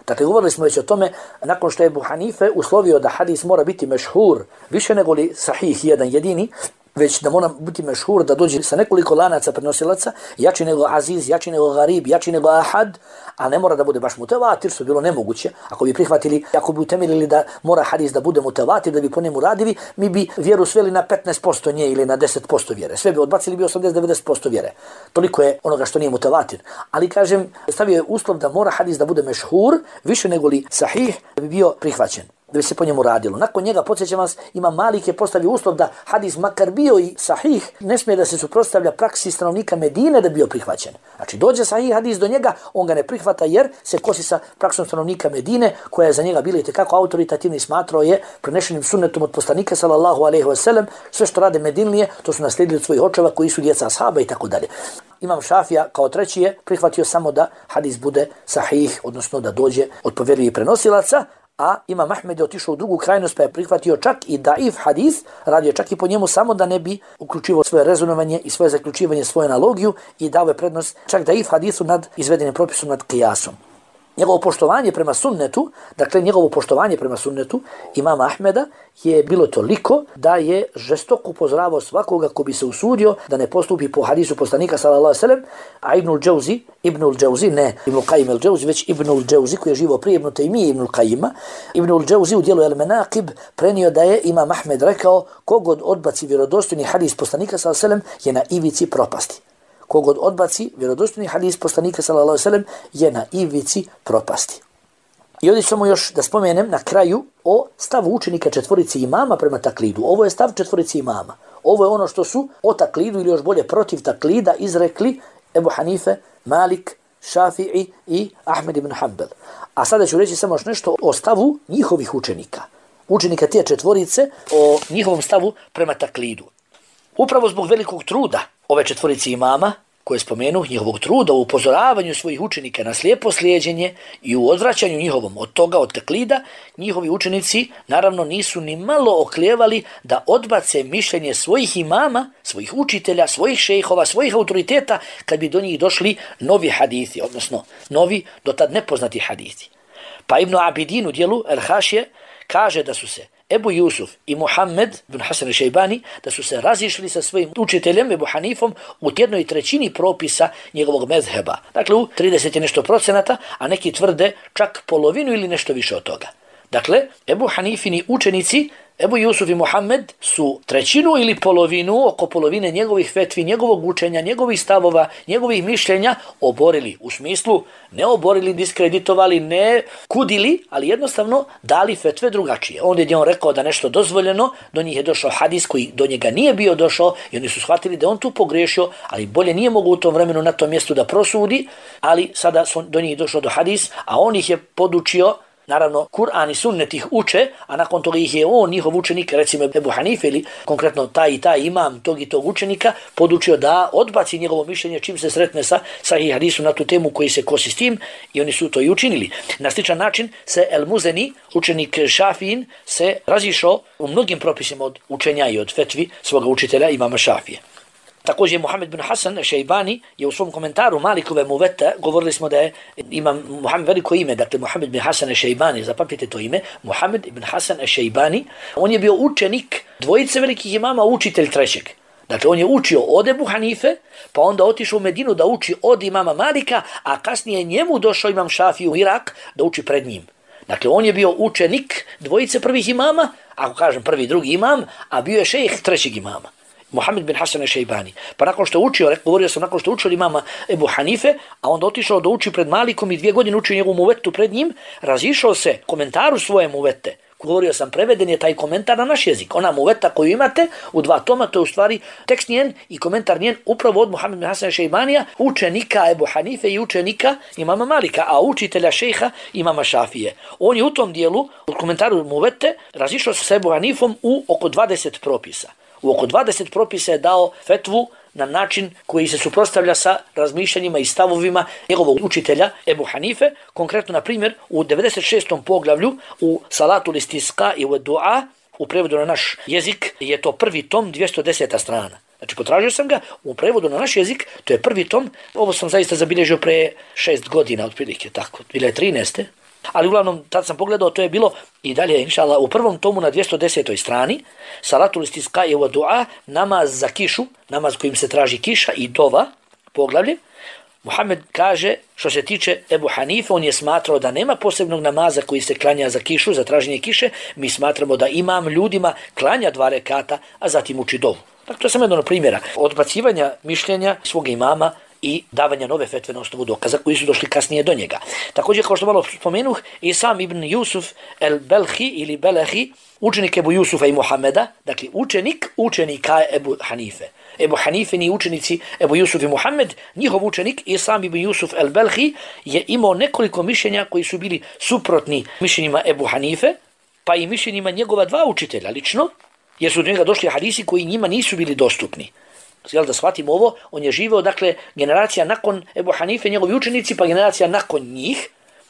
Dakle, govorili smo već o tome, nakon što je Ebu Hanife uslovio da hadis mora biti mešhur, više nego li sahih jedan jedini, već da mora biti mešhur, da dođe sa nekoliko lanaca prenosilaca, jači nego aziz, jači nego garib, jači nego ahad, a ne mora da bude baš mutevatir, što je bilo nemoguće. Ako bi prihvatili, ako bi utemeljili da mora hadis da bude mutevatir, da bi po njemu radili, mi bi vjeru sveli na petnaest posto nje ili na deset posto vjere. Sve bi odbacili bi osamdeset do devedeset posto vjere. Toliko je onoga što nije mutevatir. Ali kažem, stavio je uslov da mora hadis da bude mešhur, više nego li sahih, da bi bio prihvaćen, da bi se po njemu radilo. Nakon njega, podsjećam vas, Imam Malik je postavio uslov da hadis makar bio i sahih, ne smije da se suprotstavlja praksi stanovnika Medine da bi bio prihvaćen. Znači dođe sahih hadis do njega, on ga ne prihvata jer se kosi sa praksom stanovnika Medine, koja je za njega bila itekako autoritativna i smatrao je prenešenim sunnetom od poslanika sallallahu alejhi ve sellem, sve što rade Medinlije, to su naslijedili od svojih očeva koji su djeca ashaba i tako dalje. Imam Šafija kao treći je prihvatio samo da hadis bude sahih, odnosno da dođe od povjerljivih prenosilaca, a Imam Ahmed je otišao u drugu krajnost pa je prihvatio čak i daif hadis, radio čak i po njemu samo da ne bi uključivo svoje rezonovanje i svoje zaključivanje, svoju analogiju i dao je prednost čak daif hadisu nad izvedenim propisom nad kijasom. Njegovo poštovanje prema sunnetu, dakle njegovo poštovanje prema sunnetu imama Ahmeda je bilo toliko da je žestoko upozoravao svakoga ko bi se usudio da ne postupi po hadisu poslanika sallallahu alejhi ve sellem, a Ibnul Džauzi, Ibnul Džauzi, ne Ibnul Qajim el Džauzi, već Ibnul Džauzi koji je živo prije Ibnu Tejmije Ibnul Qajima, Ibnul Džauzi u dijelu El Menaqib prenio da je imam Ahmed rekao kogod odbaci vjerodostojni hadis poslanika sallallahu alejhi ve sellem je na ivici propasti. Kogod odbaci vjerodostojni hadis poslanika sallallahu alejhi ve sellem je na ivici propasti. I ovdje ćemo još da spomenem na kraju o stavu učenika četvorici imama prema taklidu. Ovo je stav četvorici imama. Ovo je ono što su o taklidu ili još bolje protiv taklida izrekli Ebu Hanife, Malik, Šafi'i i Ahmed ibn Hanbel. A sada ću reći samo još nešto o stavu njihovih učenika. Učenika te četvorice, o njihovom stavu prema taklidu. Upravo zbog velikog truda ove četvorici imama, koje spomenu, njihovog truda u upozoravanju svojih učenika na slijepo slijeđenje i u odvraćanju njihovom od toga, od taklida, njihovi učenici naravno nisu ni malo oklijevali da odbace mišljenje svojih imama, svojih učitelja, svojih šejhova, svojih autoriteta, kad bi do njih došli novi hadithi, odnosno novi, do tad nepoznati hadithi. Pa Ibn Abidin u dijelu El Hašije kaže da su se Ebu Jusuf i Muhammed ibn Hasan al-Šejbani da su se razišli sa svojim učiteljem Ebu Hanifom u jednoj trećini propisa njegovog mezheba. Dakle, u trideset nešto procenata, a neki tvrde čak polovinu ili nešto više od toga. Dakle, Ebu Hanifini učenici, Ebu Jusuf i Muhammed su trećinu ili polovinu, oko polovine njegovih fetvi, njegovog učenja, njegovih stavova, njegovih mišljenja oborili. U smislu ne oborili, diskreditovali, ne kudili, ali jednostavno dali fetve drugačije. Onda je on rekao da nešto dozvoljeno, do njih je došao hadis koji do njega nije bio došao i oni su shvatili da on tu pogrešio, ali bolje nije mogu u tom vremenu na tom mjestu da prosudi, ali sada su do njih došao do hadis, a on ih je podučio. Naravno, Kur'an i sunnet ih uče, a nakon toga ih je on, njihov učenik, recimo Ebu Hanife ili konkretno taj i taj imam tog i tog učenika, podučio da odbaci njegovo mišljenje čim se sretne sa sahih hadisu na tu temu koji se kosi s tim i oni su to i učinili. Na sličan način se El Muzeni, učenik Šafijin, se razišao u mnogim propisima od učenja i od fetvi svoga učitelja imama Šafije. Također Muhammed bin Hasan al-Šejbani je u svom komentaru Malikove Muvete, govorili smo da je imam Muhammed veliko ime, dakle Muhammed bin Hasan al-Šejbani, zapamtite to ime, Muhammed ibn Hasan al-Šejbani, on je bio učenik dvojice velikih imama, učitelj trećeg. Dakle, on je učio od Ebu Hanife, pa onda otišao u Medinu da uči od imama Malika, a kasnije njemu došao imam Šafiju u Irak da uči pred njim. Dakle, on je bio učenik dvojice prvih imama, ako kažem prvi, drugi imam, a bio je šejh trećeg imama, Muhammed bin Hasan al-Šejbani. Pa nakon što je učio, govorio sam nakon što je učio imama Ebu Hanife, a onda otišao da uči pred Malikom i dvije godine učio njegovu muvetu pred njim, razišao se komentaru svoje muvete. Govorio sam, preveden je taj komentar na naš jezik. Ona muveta koju imate u dva toma, to je u stvari tekst njen i komentar njen upravo od Muhammed bin Hasan al-Šejbanija, učenika Ebu Hanife i učenika imama Malika, a učitelja šejha imama Šafije. On je u tom dijelu, u komentaru muvete, razišao se sa Ebu Hanifom u oko dvadeset propisa. U oko dvadeset propisa je dao fetvu na način koji se suprotstavlja sa razmišljanjima i stavovima njegovog učitelja Ebu Hanife. Konkretno, na primjer, u devedeset šestom poglavlju u Salatul Istisqa i u Dua, u prevodu na naš jezik, je to prvi tom, dvjesto deseta strana. Znači, potražio sam ga, u prevodu na naš jezik, to je prvi tom, ovo sam zaista zabilježio pre šest godina, otprilike, tako, dvije hiljade trinaeste. Ali uglavnom, tad sam pogledao, to je bilo i dalje, inšallah, u prvom tomu na dvjesto desetoj strani, Salatul Istisqa i Dua, namaz za kišu, namaz kojim se traži kiša i dova, poglavlje. Muhammed kaže, što se tiče Ebu Hanife, on je smatrao da nema posebnog namaza koji se klanja za kišu, za traženje kiše. Mi smatramo da imam ljudima klanja dva rekata, a zatim uči dovu. Dakle, to je samo jedno od primjera odbacivanja mišljenja svog imama i davanja nove fetve na osnovu dokaza koji su došli kasnije do njega. Također, kao što malo spomenuh, Isam ibn Jusuf el-Belhi ili Belehi, učenik Ebu Jusufa i Muhameda, dakle učenik učenika Ebu Hanife. Ebu Hanife ni učenici Ebu Jusuf i Muhammed, njihov učenik Isam ibn Jusuf el-Belhi je imao nekoliko mišljenja koji su bili suprotni mišljenjima Ebu Hanife, pa i mišljenjima njegova dva učitelja lično, jer su do njega došli hadisi koji njima nisu bili dostupni. Jel da shvatimo ovo, on je živio, dakle, generacija nakon Ebu Hanife, njegovi učenici, pa generacija nakon njih,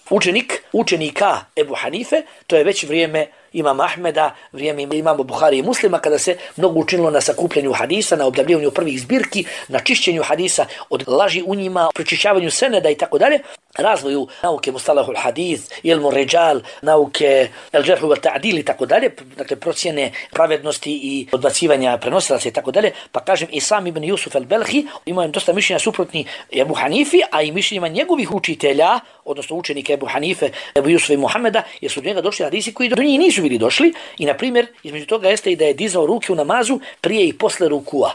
učenik učenika Ebu Hanife, to je već vrijeme imama Ahmeda, vrijeme imama Buhari i Muslima, kada se mnogo učinilo na sakupljanju hadisa, na obdavljivanju prvih zbirki, na čišćenju hadisa od laži u njima, prečišćavanju seneda i tako dalje, razvoju nauke mustalahul hadith, ilmu ređal, nauke el džerhu vel ta'dil i tako dalje, dakle procjene pravednosti i odbacivanja prenosilaca i tako dalje, pa kažem Isam ibn Jusuf el-Belhi imao dosta mišljenja suprotni Ebu Hanifi, a i mišljenjima njegovih učitelja, odnosno učenika Ebu Hanife, Ebu Jusufa i Muhameda, jer su do njega došli hadisi koji do njih nisu bili došli i, na primjer, između toga jeste i da je dizao ruke u namazu prije i posle rukua.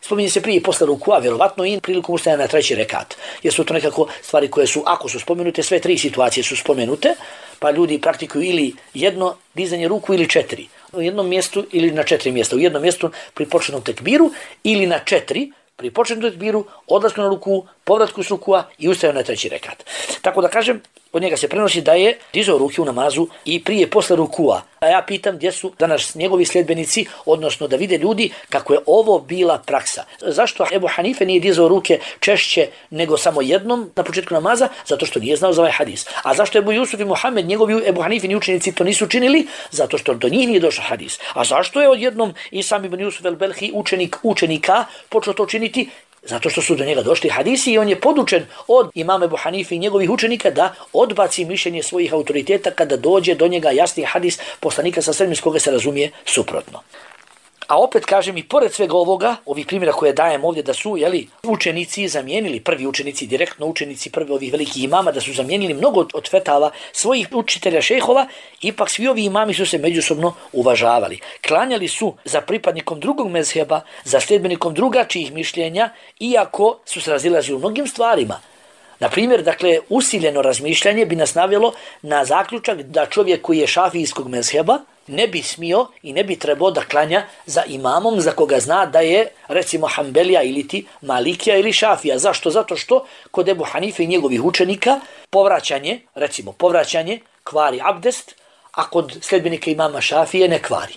Spominje se prije i posle rukua, vjerovatno i prilikom ustajanja na treći rekat. Jer su to nekako stvari koje su, ako su spomenute, sve tri situacije su spomenute, pa ljudi praktikuju ili jedno dizanje ruku ili četiri. U jednom mjestu ili na četiri mjesta. U jednom mjestu pri početnom tekbiru ili na četiri, pri početnom tekbiru, odlasku na ruku, povratku s rukua i ustajanje na treći rekat. Tako da kažem, od njega se prenosi da je dizao ruke u namazu i prije i posle rukua. A ja pitam gdje su danas njegovi sljedbenici, odnosno da vide ljudi kako je ovo bila praksa. Zašto Ebu Hanife nije dizao ruke češće nego samo jednom na početku namaza? Zato što nije znao za ovaj hadis. A zašto Ebu Jusuf i Muhammed, njegovi Ebu Hanifini učenici to nisu činili? Zato što do njih nije došao hadis. A zašto je odjednom Isam ibn Jusuf el-Belhi, učenik učenika, počeo to činiti? Zato što su do njega došli hadisi i on je podučen od imama Ebu Hanife i njegovih učenika da odbaci mišljenje svojih autoriteta kada dođe do njega jasni hadis poslanika sa srednjim s koga se razumije suprotno. A opet kažem i pored svega ovoga, ovih primjera koje dajem ovdje da su jeli, učenici zamijenili, prvi učenici, direktno učenici prvi ovih velikih imama, da su zamijenili mnogo od fetava svojih učitelja šejhova, ipak svi ovi imami su se međusobno uvažavali. Klanjali su za pripadnikom drugog mezheba, za sljedbenikom drugačijih mišljenja, iako su se razilazili u mnogim stvarima. Na primjer, dakle, usiljeno razmišljanje bi nas navelo na zaključak da čovjek koji je šafijskog mezheba ne bi smio i ne bi trebao da klanja za imamom za koga zna da je, recimo, Hanbelija ili ti Malikija ili Šafija. Zašto? Zato što kod Ebu Hanife i njegovih učenika povraćanje, recimo, povraćanje kvari abdest, a kod sljedbenika imama Šafije ne kvari.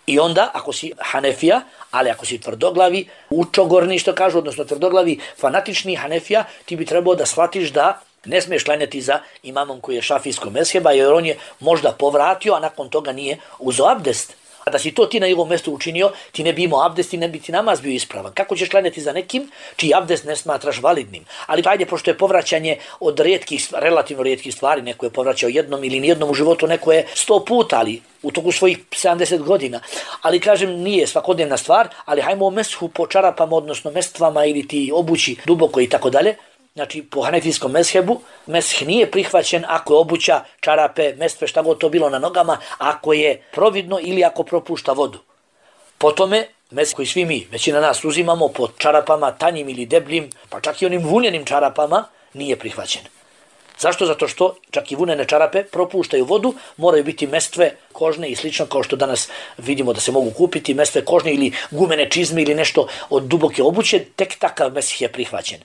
I onda, ako si Hanefija, ali ako si tvrdoglavi, učogorni što kažu, odnosno tvrdoglavi fanatični Hanefija, ti bi trebao da shvatiš da ne smiješ klanjati za imamom koji je šafijskog mezheba, jer on je možda povratio, a nakon toga nije uzeo abdest. A da si to ti na njegovom mjestu učinio, ti ne bi imao abdest i ne bi ti namaz bio ispravan. Kako ćeš klanjati za nekim čiji abdest ne smatraš validnim? Ali ajde, pošto je povraćanje od rijetkih, relativno rijetkih stvari, neko je povraćao jednom ili nijednom u životu, neko je sto puta, ali u toku svojih sedamdeset godina. Ali kažem, nije svakodnevna stvar, ali hajmo o meshu po čarapama, odnosno mestvama ili ti obući duboko i tako dalje. Znači, po hanefijskom mezhebu, mesh nije prihvaćen ako je obuća, čarape, mestve, šta god to bilo na nogama, ako je providno ili ako propušta vodu. Po tome, mesh koji svi mi, većina nas uzimamo po čarapama, tanjim ili debljim, pa čak i onim vunjenim čarapama, nije prihvaćen. Zašto? Zato što čak i vunene čarape propuštaju vodu, moraju biti mestve kožne i slično, kao što danas vidimo da se mogu kupiti, mestve kožne ili gumene čizme ili nešto od duboke obuće, tek takav mesh je prihvaćen.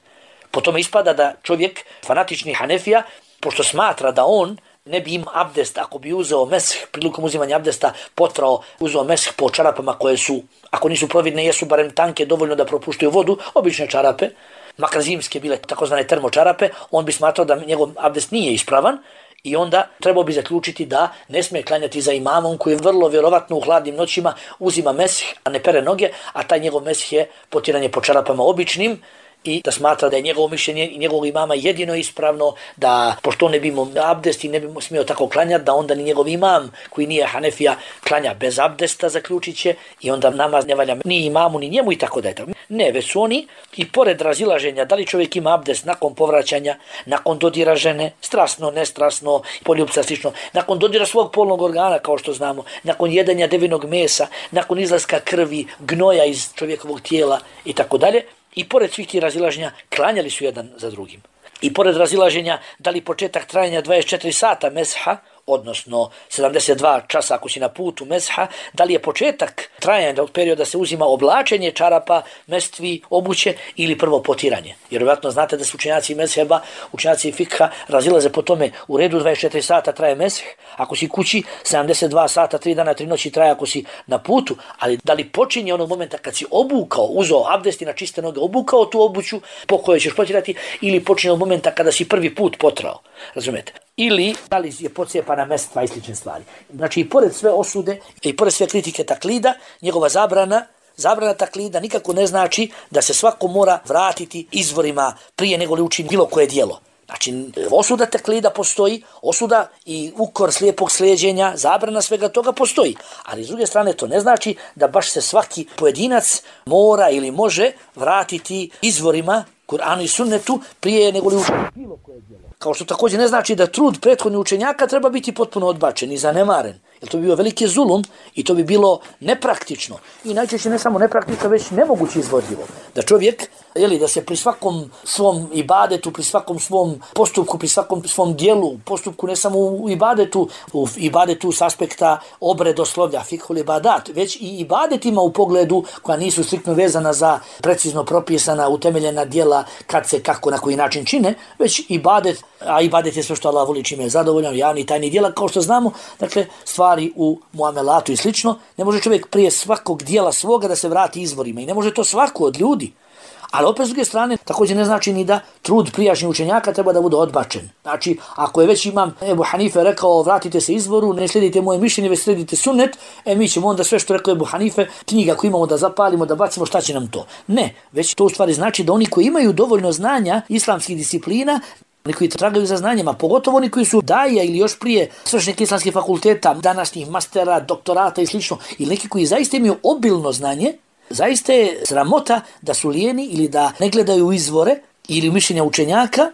Po tome ispada da čovjek, fanatični hanefija, pošto smatra da on ne bi im abdest, ako bi uzeo mesh, prilikom uzimanja abdesta, potrao, uzeo mesh po čarapama koje su, ako nisu providne, jesu barem tanke, dovoljno da propuštaju vodu, obične čarape, makar zimske bile takozvane termočarape, on bi smatrao da njegov abdest nije ispravan i onda trebao bi zaključiti da ne smije klanjati za imamom koji vrlo vjerovatno u hladnim noćima uzima mesh, a ne pere noge, a taj njegov mesh je potiranje po čarapama običnim, i da smatra da je njegovo mišljenje i njegovog imama jedino ispravno, da pošto ne bi imao abdest i ne bi smio tako klanjati, da onda ni njegov imam koji nije hanefija klanja bez abdesta, zaključit će, i onda namaz ne valja ni imamu ni njemu i tako da je. Ne, već su oni i pored razilaženja da li čovjek ima abdest nakon povraćanja, nakon dodira žene, strasno, nestrasno, poljubca slično, nakon dodira svog polnog organa kao što znamo, nakon jedenja devinog mesa, nakon izlaska krvi, gnoja iz čovjekovog tijela i tako dalje. I pored svih tih razilaženja, klanjali su jedan za drugim. I pored razilaženja, da li početak trajanja dvadeset četiri sata mesha, odnosno sedamdeset dva časa ako si na putu mesha, da li je početak trajanja od perioda se uzima oblačenje čarapa, mestvi, obuće ili prvo potiranje. Jer vjerojatno znate da su učenjaci mezheba, učenjaci fikha razilaze po tome, u redu dvadeset četiri sata traje mesh, ako si kući sedamdeset dva sata, tri dana, tri noći traje ako si na putu, ali da li počinje onog momenta kad si obukao, uzeo abdest i na čiste noge obukao tu obuću po kojoj ćeš potirati, ili počinje od momenta kada si prvi put potrao, razumete? Ili da li je pocijepana mestva i slične stvari. Znači i pored sve osude i pored sve kritike taklida, njegova zabrana, zabrana taklida nikako ne znači da se svako mora vratiti izvorima prije nego li učini bilo koje djelo. Znači osuda taklida postoji, osuda i ukor slijepog slijeđenja, zabrana svega toga postoji. Ali s druge strane to ne znači da baš se svaki pojedinac mora ili može vratiti izvorima Kur'anu i sunnetu prije nego li učini bilo koje djelo. Kao što također ne znači da trud prethodnih učenjaka treba biti potpuno odbačen i zanemaren. Jer to bi bio veliki zulum i to bi bilo nepraktično. I najčešće ne samo nepraktično, već nemoguće izvodljivo. Da čovjek, jeli, da se pri svakom svom ibadetu, pri svakom svom postupku, pri svakom svom dijelu, postupku ne samo u ibadetu, u ibadetu s aspekta obredoslovlja, fikhul ibadat, već i ibadetima u pogledu koja nisu striktno vezana za precizno propisana, utemeljena djela kad se, kako, na koji način čine, već ibadet, a ibadet je sve što Allah voli, čime je zadovoljan, javni tajni djela, kao što znamo, dakle, stvari u muamelatu i slično, ne može čovjek prije svakog dijela svoga da se vrati izvorima i ne može to svako od ljudi. Ali opet s druge strane, također ne znači ni da trud prijašnjih učenjaka treba da bude odbačen. Znači, ako je već imam Ebu Hanife rekao vratite se izvoru, ne slijedite moje mišljenje, već slijedite sunnet, e mi ćemo onda sve što rekao Ebu Hanife, knjiga koju imamo da zapalimo, da bacimo, šta će nam to? Ne, već to u stvari znači da oni koji imaju dovoljno znanja islamskih disciplina, oni koji tragaju za znanjima, pogotovo oni koji su daja ili još prije svršenih islamskih fakulteta, današnjih mastera, doktorata i slično, ili neki koji zaista imaju obilno znanje, zaista je sramota da su lijeni ili da ne gledaju u izvore ili mišljenja učenjaka,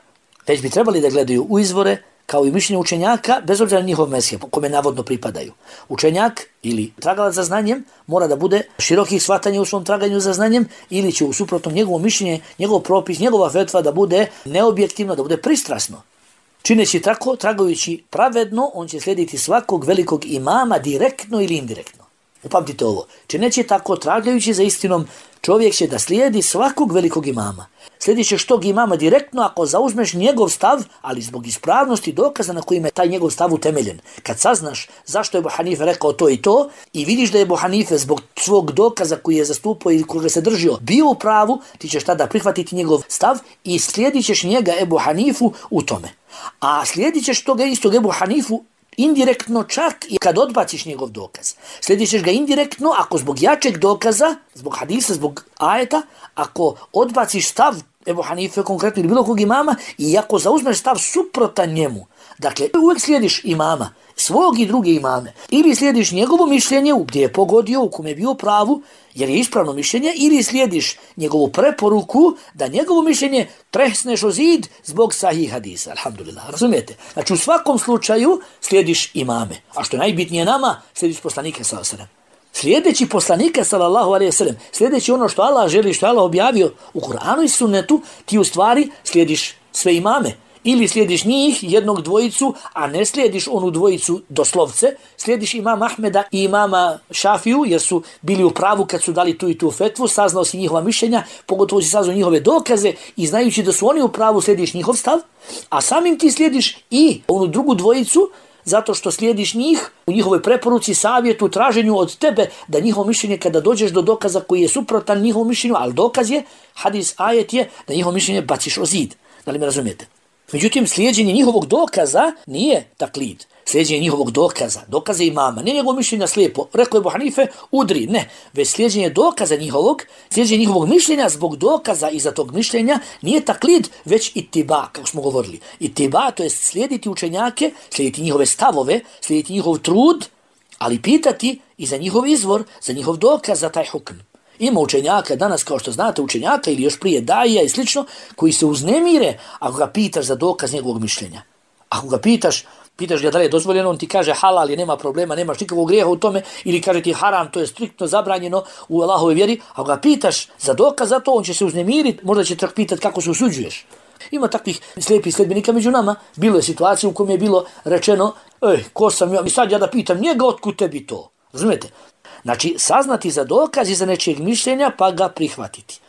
već bi trebali da gledaju u izvore kao i mišljenja učenjaka, bez obzira na njihov mezheb, kome navodno pripadaju. Učenjak ili tragalac za znanjem mora da bude širokih shvatanja u svom traganju za znanjem ili će u suprotnom njegovo mišljenje, njegov propis, njegova fetva da bude neobjektivno, da bude pristrasno. Čineći tako, tragajući pravedno, on će slijediti svakog velikog imama direktno ili indirektno. Upamtite ovo. Čineći tako, tragajući za istinom, čovjek će da slijedi svakog velikog imama. Slijedit ćeš tog imama direktno ako zauzmeš njegov stav, ali zbog ispravnosti dokaza na kojim je taj njegov stav utemeljen. Kad saznaš zašto je Ebu Hanife rekao to i to i vidiš da je Ebu Hanife zbog svog dokaza koji je zastupao i koga se držio bio u pravu, ti ćeš tada prihvatiti njegov stav i slijedit ćeš njega Ebu Hanifu u tome. A slijedit ćeš toga istog Ebu Hanifu indirektno čak i kad odbaciš njegov dokaz. Slijedit ćeš ga indirektno ako zbog jačeg dokaza, zbog hadisa, zbog ajeta, ako odbaciš stav Ebu Hanife konkretno ili bilo kog imama i ako zauzmeš stav suprotan njemu. Dakle, uvijek slijediš imama, svog i druge imame. Ili slijediš njegovo mišljenje gdje je pogodio, u kome je bio pravu, jer je ispravno mišljenje, ili slijediš njegovu preporuku da njegovo mišljenje tresneš o zid zbog sahih hadisa. Alhamdulillah, razumijete? Znači u svakom slučaju slijediš imame. A što je najbitnije nama, slijediš poslanike sallallahu alejhi ve sellem. Slijedeći poslanike sallallahu alejhi ve sellem, slijedeći ono što Allah želi, što Allah objavio u Kur'anu i sunnetu, ti u stvari slijediš sve imame. Ili slijediš njih, jednog dvojicu, a ne slijediš onu dvojicu doslovce, slijediš imama Ahmeda i imama Šafiju, jer su bili u pravu kad su dali tu i tu fetvu, saznao si njihova mišljenja, pogotovo si saznao njihove dokaze i znajući da su oni u pravu, slijediš njihov stav, a samim ti slijediš i onu drugu dvojicu, zato što slijediš njih u njihovoj preporuci, savjetu, traženju od tebe da njihovo mišljenje kada dođeš do dokaza koji je suprotan njihovom mišljenju, ali dokaz je, hadis, ajet je, da njihovo mišljenje baciš o zid. Da li me razumijete? Međutim, slijeđenje njihovog dokaza nije taklid. Slijeđenje njihovog dokaza, dokaze imama, ne njegov mišljenja slijepo. Rekao je Ebu Hanife, udri, ne. Već slijeđenje dokaza njihovog, slijeđenje njihovog mišljenja zbog dokaza iza tog mišljenja nije taklid, već itiba, kako smo govorili. Itiba, to je slijediti učenjake, slijediti njihove stavove, slijediti njihov trud, ali pitati i za njihov izvor, za njihov dokaz, za taj hukm. Ima učenjaka danas, kao što znate, učenjaka ili još prije daija i slično, koji se uznemire ako ga pitaš za dokaz njegovog mišljenja. Ako ga pitaš, pitaš ga da li je dozvoljeno, on ti kaže halal je, nema problema, nemaš nikakvog grijeha u tome, ili kaže ti haram, to je striktno zabranjeno u Allahove vjeri. Ako ga pitaš za dokaz za to, on će se uznemiriti, možda će tako pitati kako se usuđuješ. Ima takvih slijepih sledbenika među nama. Bilo je situacija u kojoj je bilo rečeno, ej, ko sam ja, i sad ja da pitam njega, otkud tebi to? Razumijete? Znači, saznati za dokaz i za nečijeg mišljenja, pa ga prihvatiti.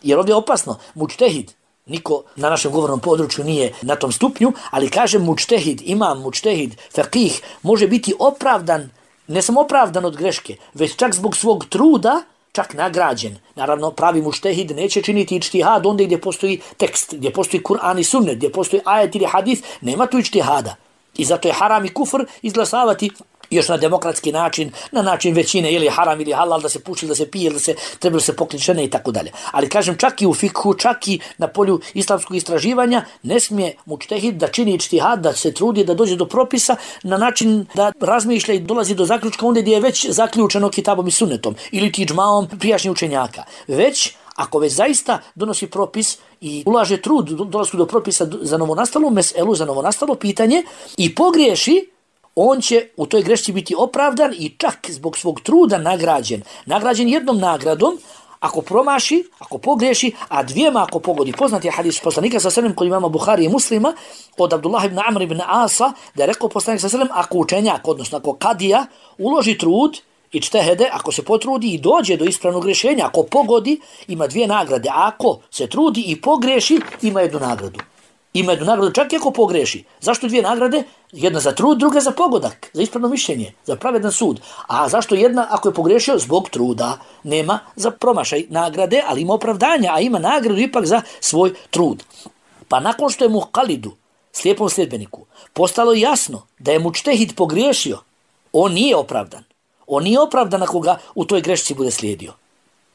Jer ovdje je opasno, mučtehid, niko na našem govornom području nije na tom stupnju, ali kaže mučtehid, imam, mučtehid, faqih, može biti opravdan, ne samo opravdan od greške, već čak zbog svog truda, čak nagrađen. Naravno, pravi mučtehid neće činiti ičtihad onda gdje postoji tekst, gdje postoji Kur'an i sunnet, gdje postoji ajet ili hadis, nema tu ičtihada. I zato je haram i kufr izglasavati još na demokratski način, na način većine, ili haram ili halal, da se puši, da se pije, da se treba se pokriti žene i tako dalje. Ali kažem, čak i u fikhu, čak i na polju islamskog istraživanja, ne smije mučtehid da čini ičtihad, da se trudi da dođe do propisa na način da razmišlja i dolazi do zaključka onda gdje je već zaključeno kitabom i sunnetom ili ti džmaom prijašnjih učenjaka. Već ako već zaista donosi propis i ulaže trud dolasku do propisa za novonastalu meselu, za novonastalo pitanje i pogriješi, on će u toj grešci biti opravdan i čak zbog svog truda nagrađen. Nagrađen jednom nagradom, ako promaši, ako pogriješi, a dvijema ako pogodi. Poznat je hadis poslanika sa selem kod imama Buhari i Muslima od Abdullah ibn Amr ibn Asa, da je rekao poslanik sa selem, ako učenjak, odnosno ako kadija, uloži trud i čtehede, ako se potrudi i dođe do ispravnog rješenja, ako pogodi, ima dvije nagrade. A ako se trudi i pogriješi, ima jednu nagradu. Ima jednu nagradu čak i ako pogreši. Zašto dvije nagrade? Jedna za trud, druga za pogodak, za ispravno mišljenje, za pravedan sud. A zašto jedna ako je pogrešio? Zbog truda. Nema za promašaj nagrade, ali ima opravdanja, a ima nagradu ipak za svoj trud. Pa nakon što je muqalidu, slijepom sljedbeniku, postalo jasno da je mučtehid pogriješio, on nije opravdan. On nije opravdan ako ga u toj grešci bude slijedio.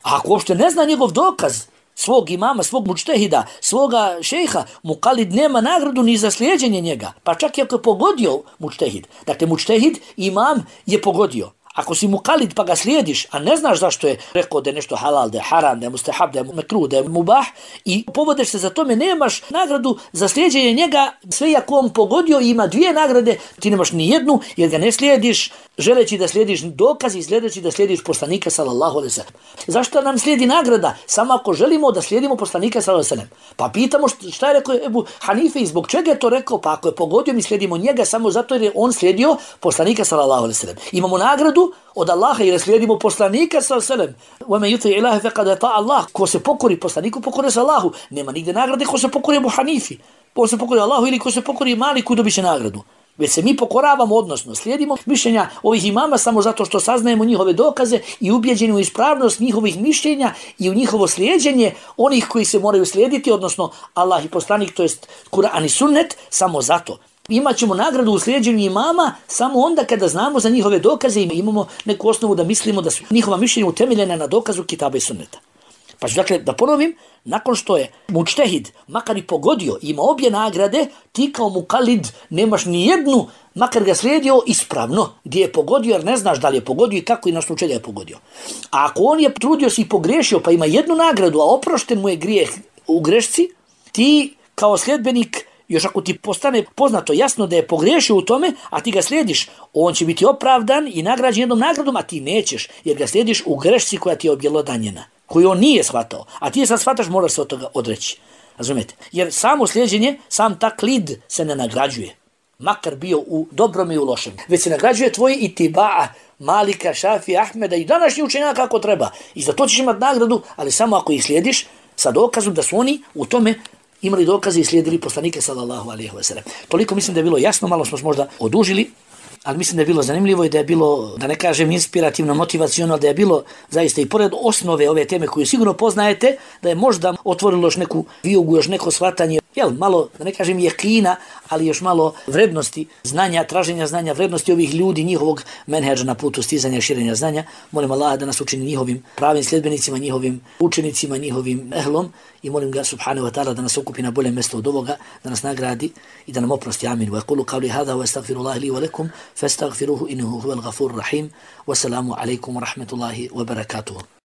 A ako uopšte ne zna njegov dokaz, svog imama, svog mučtehida, svoga šejha, muqalid nema nagradu ni za slijeđenje njega, pa čak i ako je pogodio mučtehid. Dakle, mučtehid, imam je pogodio. Ako si muqalid pa ga slijediš, a ne znaš zašto je rekao da je nešto halal, da je haram, da je mustahab, da je mekruh, da je mubah i povodeš se za tome, nemaš nagradu za slijeđenje njega, sve ako on pogodio ima dvije nagrade, ti nemaš ni jednu jer ga ne slijediš, želeći da slijediš dokaz i sljedeći da slijediš poslanika sallallahu alejhi ve sellem. Zašto nam slijedi nagrada? Samo ako želimo da slijedimo poslanika sallallahu alejhi ve sellem. Pa pitamo šta je rekao Ebu Hanife i zbog čega je to rekao? Pa ako je pogodio mi slijedimo njega samo zato jer je on slijedio poslanika sallallahu alejhi ve sellem. Imamo nagradu od Allaha jer slijedimo poslanika sallallahu alejhi ve sellem. Wa man yuti ilaha faqad ata Allah. Ko se pokori poslaniku, pokori se Allahu. Nema nigde nagrade ko se pokori Ebu Hanifi. Ko se pokori Allahu ili ko se pokori Maliku, dobiće nagradu. Već se mi pokoravamo, odnosno slijedimo mišljenja ovih imama samo zato što saznajemo njihove dokaze i ubjeđeni u ispravnost njihovih mišljenja i u njihovo slijeđenje onih koji se moraju slijediti, odnosno Allah i poslanik, to jest Kur'an i sunnet, samo zato. Imaćemo nagradu u slijeđenju imama samo onda kada znamo za njihove dokaze i imamo neku osnovu da mislimo da su njihova mišljenja utemeljena na dokazu Kitaba i Sunneta. Pa dakle, da ponovim, nakon što je mučtehid makar i pogodio, ima obje nagrade, ti kao mukalid nemaš ni jednu, makar ga slijedio ispravno, gdje je pogodio jer ne znaš da li je pogodio i kako i na slučaju je pogodio. A ako on je trudio se i pogrešio pa ima jednu nagradu, a oprošten mu je grijeh u grešci, ti kao sljedbenik, još ako ti postane poznato jasno da je pogriješio u tome, a ti ga slijediš, on će biti opravdan i nagrađen jednom nagradom, a ti nećeš, jer ga slijediš u grešci koja ti je objelodanjena, koju on nije shvatao, a ti je sad shvataš, moraš se od toga odreći. Razumijete? Jer samo slijeđenje, sam taklid se ne nagrađuje, makar bio u dobrom i u lošem, već se nagrađuje tvoj itiba, Malika, Šafija, Ahmeda i današnji učenjaka kako treba. I za to ćeš imati nagradu, ali samo ako ih slijediš sa dokazom da su oni u tome imali dokaze i slijedili poslanike sallallahu alejhi ve sellem. Toliko mislim da je bilo jasno, malo smo možda odužili, ali mislim da je bilo zanimljivo i da je bilo, da ne kažem inspirativno, motivacionalno, da je bilo zaista i pored osnove ove teme koju sigurno poznajete, da je možda otvorilo još neku vijugu, još neko shvatanje, jel, malo, da ne kažem jekina, ali još malo vrednosti znanja, traženja znanja, vrednosti ovih ljudi, njihovog menhedža na putu stizanja i širenja znanja. Molim Allaha da nas učini njihovim pravim sljedbenicima, njihovim učenicima, njihovim ehlom i molim ga subhanahu wa ta'ala da nas okupi na bolje mjesto od ovoga, da nas nagradi i da nam oprosti. Amin. Wa qulu qawli hadha wa astaghfirullaha li wa lakum fastaghfiruhu innahu huwal ghafurur rahim. Wassalamu alaykum wa rahmatullahi wa barakatuh.